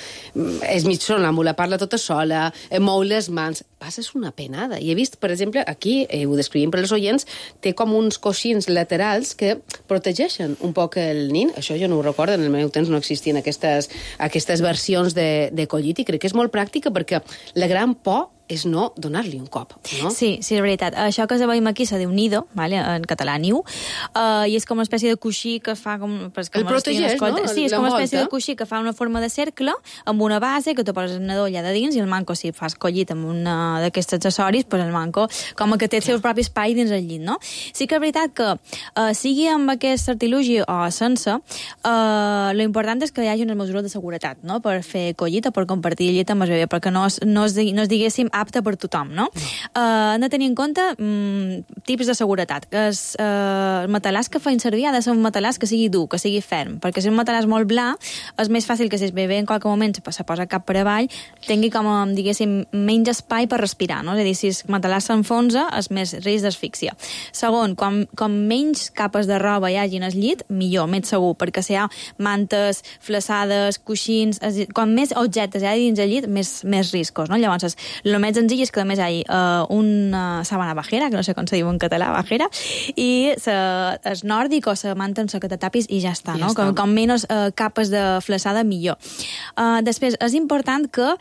és mig sonàmbula, parla tota sola, mou les mans, passes una penada. I he vist, per exemple, aquí, ho descrivim per als oients, té com uns coixins laterals que protegeixen un poc el nin. Això jo no ho recordo, en el meu temps no existien aquestes versions de collit i crec que és molt pràctica perquè la gran por és no donar-li un cop, no? Sí, és veritat. Això que veiem aquí se diu nido, vale? En català niu, i és com una espècie de coixí que fa com... El protegeix, no? Sí, és com una espècie de coixí que fa una forma de cercle amb una base que tu poses el nadó allà de dins i el manco, si fas collit amb una d'aquests accessoris, pues el manco com que té el seu propi espai dins el llit, no? Sí que és veritat que sigui amb aquest artilugi o sense, lo important és que hi hagi unes mesures de seguretat, no? Per fer collit o per compartir el llit amb el bebè, perquè no es diguéssim apte per tothom, no? Han de tenir en compte tips de seguretat. El matalàs que feien servir ha de ser un matalàs que sigui dur, que sigui ferm, perquè si un matalàs molt bla, és més fàcil que si el bebè en qualque moment se posa cap per avall, tingui com, diguéssim, menys espai per respirar, no? És a dir, si el matalàs s'enfonsa, és més risc d'asfíxia. Segon, com menys capes de roba hi hagi en el llit, millor, més segur, perquè si hi ha mantes, flaçades, coixins, com més objectes hi ha dins el llit, més riscos, no? Llavors, el més senzill és que només hi hagi una sabana bajera, que no sé com se diu en català, bajera, i el nòrdic o la manta en la que te tapis i ja està, no? Com menys capes de flaçada, millor. Després, és important que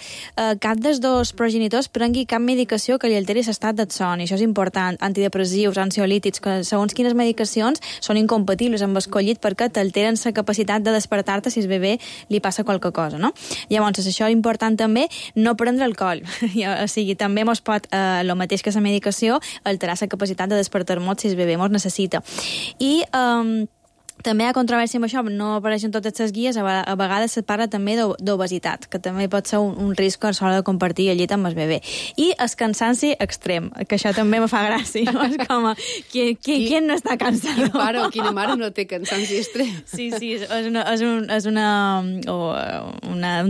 cap dels dos progenitors prengui cap medicació que li alteri l'estat del son, i això és important, antidepressius, ansiolítics, que segons quines medicacions són incompatibles amb el collit perquè t'alteren la capacitat de despertar-te si el bebè li passa qualque cosa, no? Llavors, això és important també, no prendre alcohol. O sigui, també mos pot, el mateix que la medicació, alterar la capacitat de despertar-nos si el bebè mos necessita. I també hi ha controvèrsia amb això, no apareixen totes les guies, a vegades se parla també d'obesitat, que també pot ser un risc a l'hora de compartir el llit amb el bebè. I el cansanci extrem, que això també me fa gràcia, no? És com, qui no està cansat? Quin pare o quina mare no té cansanci extrem? Sí, és un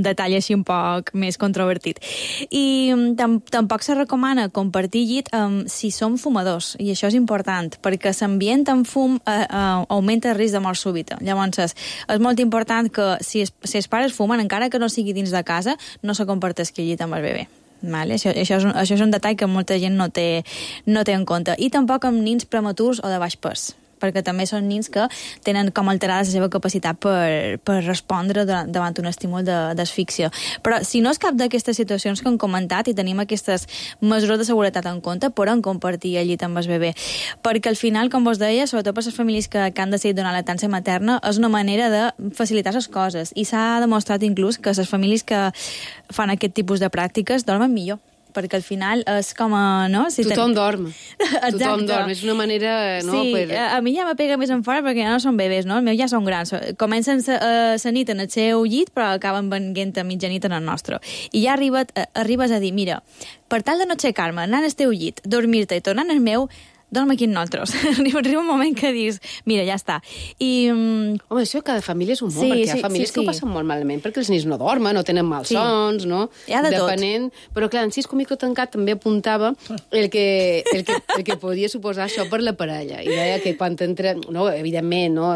detall així un poc més controvertit. I tampoc se recomana compartir llit si som fumadors, i això és important, perquè l'ambient amb fum augmenta el risc de de mort súbita. Llavors, és molt important que si els pares fumen, encara que no sigui dins de casa, no se comparteixi el llit amb el bebè. Vale? Això és un detall que molta gent no té en compte. I tampoc amb nins prematurs o de baix pes, perquè també són nins que tenen com alterada la seva capacitat per respondre davant un estímul d'asfíxia. Però si no és cap d'aquestes situacions que hem comentat i tenim aquestes mesures de seguretat en compte, podem compartir el llit amb el bebè. Perquè al final, com vos deia, sobretot per les famílies que han decidit donar lactància materna, és una manera de facilitar les coses. I s'ha demostrat inclús que les famílies que fan aquest tipus de pràctiques dormen millor, perquè al final és com a... No? Si tothom dorm. Exacte. Tothom dorm. És una manera... No, sí, a mi ja me pega més en fora perquè ja no són bebès, no? Els meus ja són grans. Comencen la nit en el seu llit, però acaben venint a mitjanit en el nostre. I ja arribes a dir, mira, per tal de no aixecar-me, anar al teu llit, dormir-te i tornar al meu, dorm aquí amb nosaltres. Arriba un moment que dius, mira, ja està. Home, això cada família és un món, perquè hi ha famílies que ho passen molt malament, perquè els nens no dormen, no tenen malsons, no? Hi ha de depenent. Però clar, en Cisco Micro Tancat també apuntava el que podia suposar això per la parella. I deia que quan t'entra, no, evidentment, no,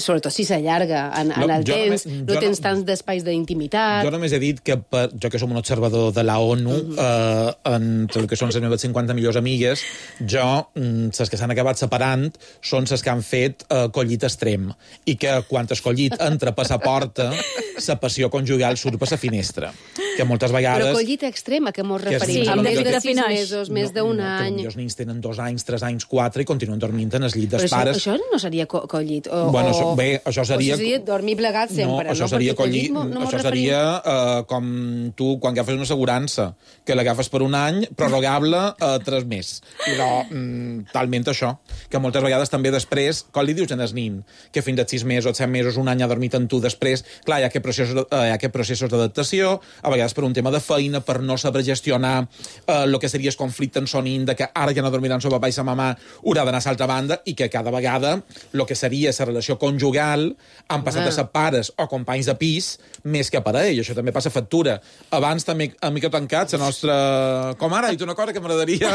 sobretot si s'allarga en el temps, no tens tants d'espais d'intimitat. Jo només he dit que, jo que som un observador de la ONU, entre el que són les meves 50 millors amigues, les que s'han acabat separant són les que han fet collit extrem i que quan el collit entra per la porta la passió conjugal surt per la finestra, que moltes vegades... Però collit extrem, a què mos referim? Sí, amb més de 6 defineix. mesos, més d'un any... Els nens tenen 2 anys, 3 anys, 4 i continuen dormint en el llit dels pares. Però això no seria collit? Bé, això seria... O sigui, dormir plegats sempre, no? Això seria collit, això seria com tu, quan agafes una assegurança, que l'agafes per un any, prorrogable 3 més. Però talment això, que moltes vegades també després, com li dius en el nin, que fins a 6 mesos, 7 mesos, un any ha dormit amb tu després, clar, hi ha aquests processos d'adaptació, a vegades per un tema de feina, per no saber gestionar el que seria el conflicte en son nin, de que ara ja no dormiran el papà i la mamà, haurà d'anar a l'altra banda, i que cada vegada el que seria la relació conjugal han passat a ser pares o companys de pis més que parell. Això també passa factura. Abans també, a Micro Tancat, la nostra... Com ara, ha dit una cosa que m'agradaria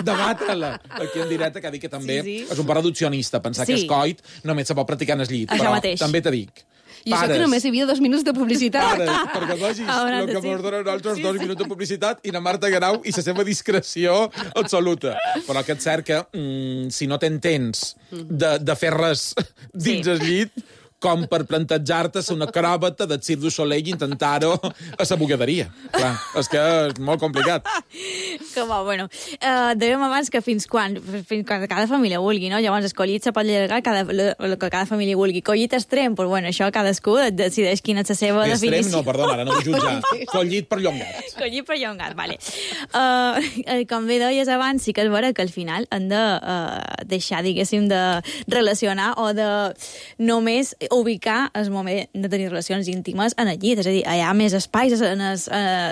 debatre-la aquí en directe, que ha dit que també és un paradoxionista, pensar que el coit només se pot practicar en el llit. Això però mateix. també te dic, I això que només hi havia 2 minuts de publicitat. pares, perquè vegis el que ens donen nosaltres 2 minuts de publicitat i la Marta Guerau i la seva discreció absoluta. Però que és cert que si no t'entens de fer res dins el llit, com per plantejar-te ser una acròbata del Cirque du Soleil i intentar-ho a la bugaderia. Clar, és que és molt complicat. Que bo, bueno. Dèiem abans que fins quan cada família vulgui, no? Llavors, el collit se pot allargar el que cada família vulgui. Collit extrem, doncs, bueno, això cadascú decideix quina és la seva definició. Extrem no, perdona, ara no vull jutjar. Collit perllongat. Collit perllongat, vale. Com bé deies abans, sí que és vera que al final han de deixar, diguéssim, de relacionar o de només ubicar el moment de tenir relacions íntimes en el llit, és a dir, hi ha més espais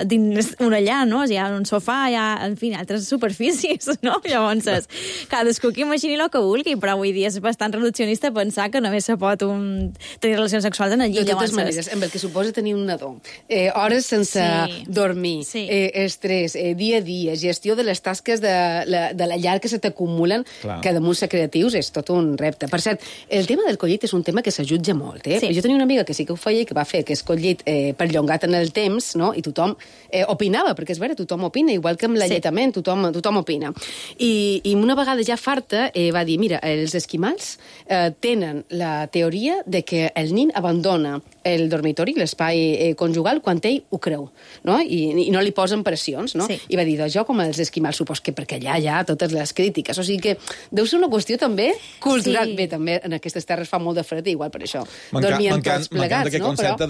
dins una llar, no? Hi ha un sofà, hi ha, en fi, altres superfícies, no? Llavors, cadascú que imagini el que vulgui, però avui dia és bastant reduccionista pensar que només se pot tenir relacions sexuals en el llit. De totes maneres, amb el que suposa tenir un nadó, hores sense dormir, estrès, dia a dia, gestió de les tasques de la llar que se t'acumulen, que damunt ser creatius és tot un repte. Per cert, el tema del collit és un tema que s'ajuda molt, eh? Sí. Jo tenia una amiga que sí que ho feia i que va fer que es collit perllongat en el temps, no? I tothom opinava, perquè és vera, tothom opina, igual que amb l'alletament, tothom opina. I una vegada ja farta va dir, mira, els esquimals tenen la teoria de que el nin abandona el dormitori, l'espai conjugal, quan ell ho creu, no? I no li posen pressions, no? Sí. I va dir, doncs jo com els esquimals, supos que perquè allà hi ha totes les crítiques, o sigui que deu ser una qüestió també cultural. Sí. Bé, també en aquestes terres fa molt de fred, igual per això. Dormien tots plegats, no? M'encanta aquest concepte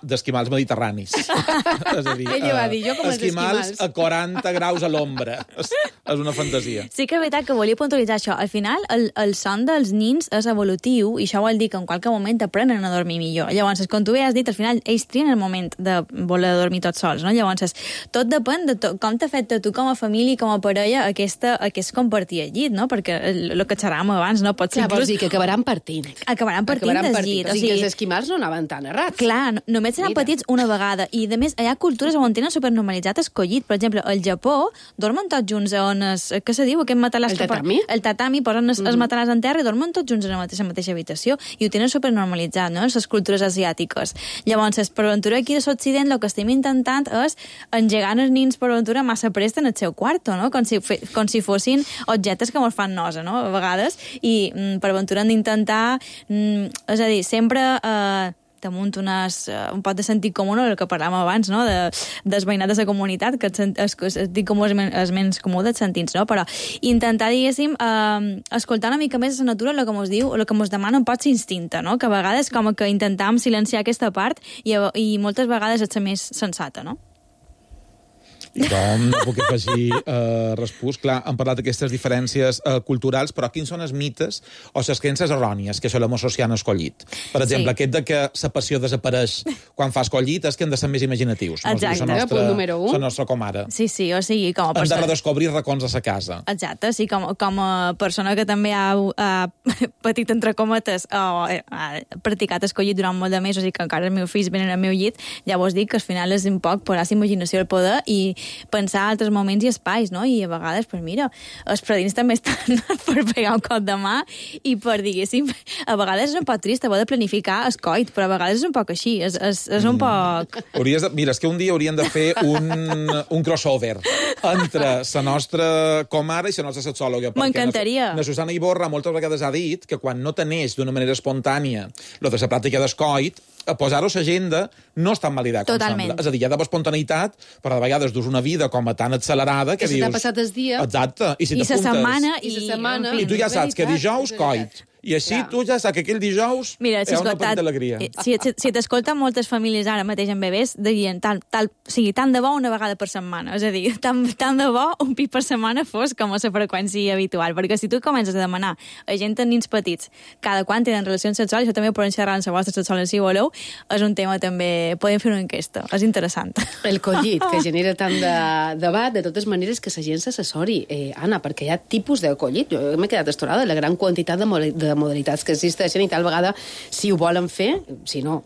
d'esquimals mediterranis. És a dir, ella va dir, jo com els esquimals a 40 graus a l'ombra. És una fantasia. Sí que és veritat que volia puntualitzar això. Al final, el son dels nins és evolutiu i això vol dir que en qualque moment aprenen a dormir millor. Llavors, com tu bé has dit, al final ells trien el moment de voler dormir tots sols, no? Llavors, tot depèn de com t'afecta a tu com a família i com a parella aquest compartir el llit, no? Perquè el que xerràvem abans, no? Pot ser inclús... Vols dir que acabaran partint. Acabaran partint del llit. O sigui, que els esquimals no anaven tan errats. Clar, només seran petits una vegada. I, a més, hi ha cultures on tenen supernormalitzat el collit. Per exemple, al Japó dormen tots junts on què se diu? Aquest matalàs el tatami? El tatami, posen els matalàs en terra i dormen tots junts en la mateixa habitació. I ho tenen supernormalitzat, no?, en les cultures asiàtiques. Llavors, per aventura aquí a l'Occident, el que estem intentant és engegar els nins per aventura massa prest en el seu quarto, no?, com si fossin objectes que mos fan nosa, no?, a vegades. I per aventura hem d'intentar, és a dir, sempre damunt un pot de sentit comú, el que parlàvem abans, no?, dels veïnats de la comunitat, que el sentit comú és menys comú dels sentits, no?, però intentar, diguéssim, escoltar una mica més la natura, el que mos diu, el que mos demana un pot ser instinte, no?, que a vegades com que intentam silenciar aquesta part i moltes vegades és la més sensata, no? Jo no puc afegir respús. Clar, hem parlat d'aquestes diferències culturals, però quins són els mites o les creences errònies que solem associar al collit? Per exemple, aquest de que la passió desapareix quan fas collit és que hem de ser més imaginatius. Exacte, punt número 1. La nostra comare. Sí, o sigui, com a persona... Hem de redescobrir racons a sa casa. Exacte, sí, com a persona que també ha patit entre cometes o ha practicat el collit durant molt de mesos i que encara els meus fills venen al meu llit, llavors dic que al final és un poc posar la imaginació al poder i pensar altres moments i espais, no? I a vegades, pues mira, els predins també estan per pegar un cop de mà i per, diguéssim, a vegades és un poc trist haver de planificar el coit, però a vegades és un poc així, és un poc... Mira, és que un dia hauríem de fer un crossover entre la nostra comare i la nostra sexòloga. M'encantaria. La Susana Iborra moltes vegades ha dit que quan no teneix d'una manera espontània lo de la pràctica del coit, posar-ho a l'agenda no és tan mal idea com Totalment. sembla. És a dir, hi ha d'haver espontanitat, però de vegades dus una vida com a tan accelerada que dius... Que se t'ha passat el dia... Exacte. I si la setmana... I tu ja saps que dijous, coit. I així tu ja saps que aquell dijous hi ha una petita alegria. Si t'escolten moltes famílies ara mateix amb bebès, dirien tant de bo una vegada per setmana. És a dir, tant de bo un pit per setmana fos com a la freqüència habitual. Perquè si tu comences a demanar a gent amb nins petits cada quan tenen relacions sexuals, això també ho poden xerrar en la vostra sexual si voleu, és un tema també... Podem fer una enquesta. És interessant. El collit, que genera tant de debat, de totes maneres, que la gent s'assessori. Anna, perquè hi ha tipus de collit. Jo m'he quedat estorada de la gran quantitat de modalitats que existeixen i tal vegada, si ho volen fer, si no,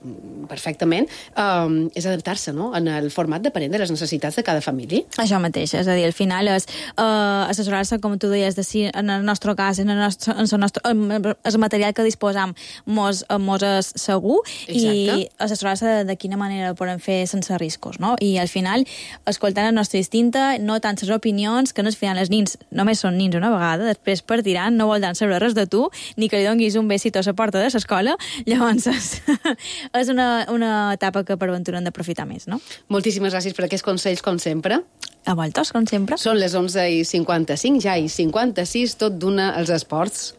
perfectament, és adaptar-se, no?, en el format depenent de les necessitats de cada família. Això mateix, és a dir, al final és assessorar-se, com tu deies, de si en el nostre cas, el material que disposam mos és segur. Exacte. I assessorar-se de quina manera ho podem fer sense riscos, no? I al final, escoltant el nostre instinte, no tant les opinions, que no al final els nins només són nins una vegada, després partiran, no voldran saber res de tu, ni que li donguis un besito a la porta de l'escola, llavors és una etapa que per aventura hem d'aprofitar més, no? Moltíssimes gràcies per aquests consells, com sempre. A voltes, com sempre. Són les 11:55, ja i 56, tot d'una als esports.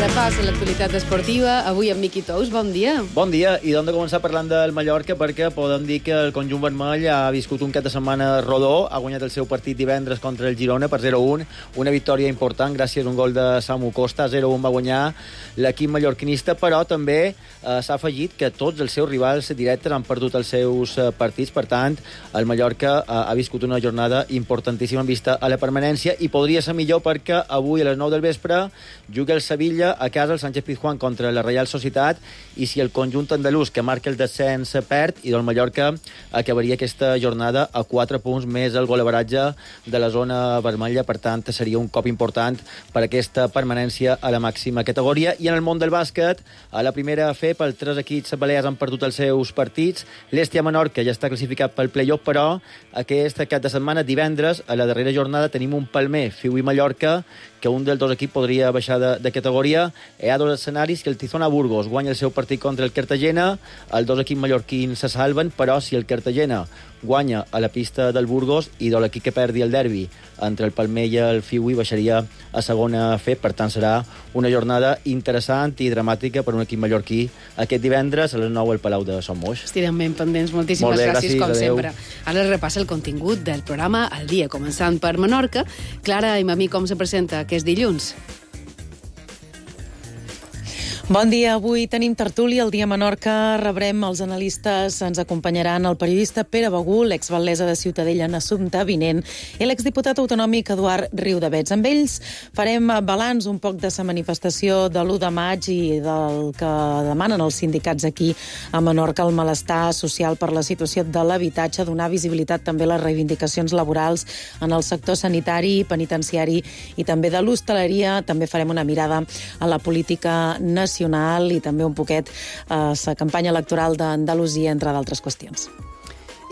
Repàs a l'actualitat esportiva, avui amb Miqui Tous, bon dia. Bon dia, i d'on de començar parlant del Mallorca, perquè podem dir que el conjunt vermell ha viscut un cap de setmana rodó, ha guanyat el seu partit divendres contra el Girona per 0-1, una victòria important gràcies a un gol de Samu Costa, 0-1 va guanyar l'equip mallorquinista, però també s'ha afegit que tots els seus rivals directes han perdut els seus partits, per tant, el Mallorca ha viscut una jornada importantíssima en vista a la permanència, i podria ser millor perquè avui a les 9 del vespre juga el Sevilla a casa el Sánchez Pizjuán contra la Real Societat, i si el conjunt andalús que marca el descens perd, i del Mallorca acabaria aquesta jornada a 4 punts més el golaveratge de la zona vermella, per tant seria un cop important per aquesta permanència a la màxima categoria. I en el món del bàsquet, a la primera FEP els 3 equips balears han perdut els seus partits, l'Hèstia Menorca ja està classificat pel play-off, però aquest cap de setmana, divendres, a la darrera jornada tenim un palmer, Fiu i Mallorca, que un dels dos equips podria baixar de categoria. Hi ha dos escenaris, que el Tizona Burgos guanya el seu partit contra el Cartagena, els dos equips mallorquins se salven, però si el Cartagena guanya a la pista del Burgos i de l'equip que perdi el derbi entre el Palmer i el Fiui baixaria a segona F. Per tant, serà una jornada interessant i dramàtica per un equip mallorquí aquest divendres a les 9 al Palau de Son Moix. Estirem ben pendents. Moltíssimes gràcies, com sempre. Ara repassa el contingut del programa al dia, començant per Menorca. Clara, i a mi com se presenta aquest dilluns? Bon dia, avui tenim tertúlia al Dia Menorca, rebrem els analistes, ens acompanyaran el periodista Pere Begú, l'ex-batllessa de Ciutadella Assumpta Vinent i l'exdiputat autonòmic Eduard Riudavets. Amb ells farem balanç un poc de la manifestació de l'1 de maig i del que demanen els sindicats aquí a Menorca, el malestar social per la situació de l'habitatge, donar visibilitat també a les reivindicacions laborals en el sector sanitari, penitenciari i també de l'hostaleria. També farem una mirada a la política nacional i també un poquet a la campanya electoral d'Andalusia, entre d'altres qüestions.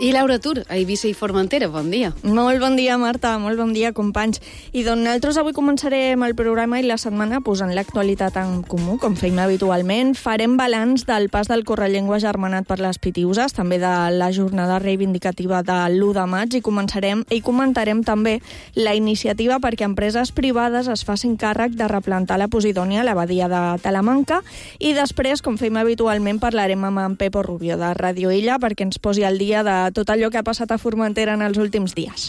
I Laura Tur, a Eivissa i Formentera, bon dia. Molt bon dia, Marta, molt bon dia, companys. I doncs nosaltres avui començarem el programa i la setmana posant l'actualitat en comú, com feim habitualment. Farem balanç del pas del Correllengua germanat per les Pitiuses, també de la jornada reivindicativa de l'1 de maig, i comentarem també la iniciativa perquè empreses privades es facin càrrec de replantar la Posidònia a la badia de Talamanca, i després, com feim habitualment, parlarem amb en Pepo Rubio de Radio Illa perquè ens posi al dia de tot allò que ha passat a Formentera en els últims dies.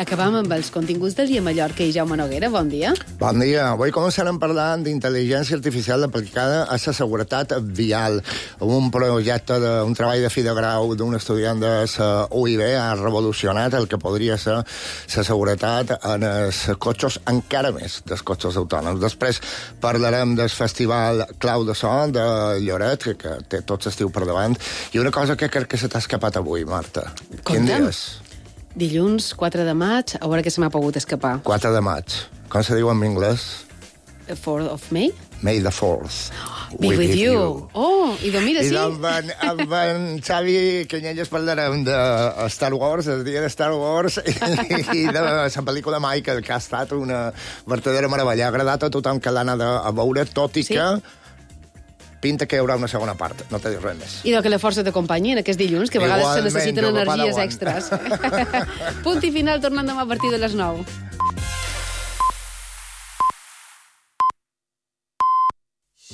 Acabam amb els continguts del Dia Mallorca i Jaume Noguera, bon dia. Bon dia. Avui començarem parlant d'intel·ligència artificial aplicada a la seguretat vial. Un projecte, un treball de fi de grau d'un estudiant de la UIB ha revolucionat el que podria ser la seguretat en els cotxes, encara més dels cotxes autònoms. Després parlarem del Festival Clau de So de Lloret, que té tot l'estiu per davant, i una cosa que crec que se t'ha escapat avui, Marta. Quin dia és? Dilluns, 4 de maig, a veure què se m'ha pogut escapar. 4 de maig. Com se diu en anglès? 4th of May? May the 4th. Be with you. Oh, i doncs mira, sí. I amb en Xavi Canyelles parlarem de Star Wars, el dia de Star Wars, i de la pel·lícula Michael, que ha estat una vertadera meravella. Ha agradat a tothom que l'ha anat a veure, tot i que pinta que hi haurà una segona part, no t'he dit res més. I que la força t'acompanyi en aquest dilluns, que a vegades se necessiten energies extres. Punt i final, tornant demà a partir de les 9.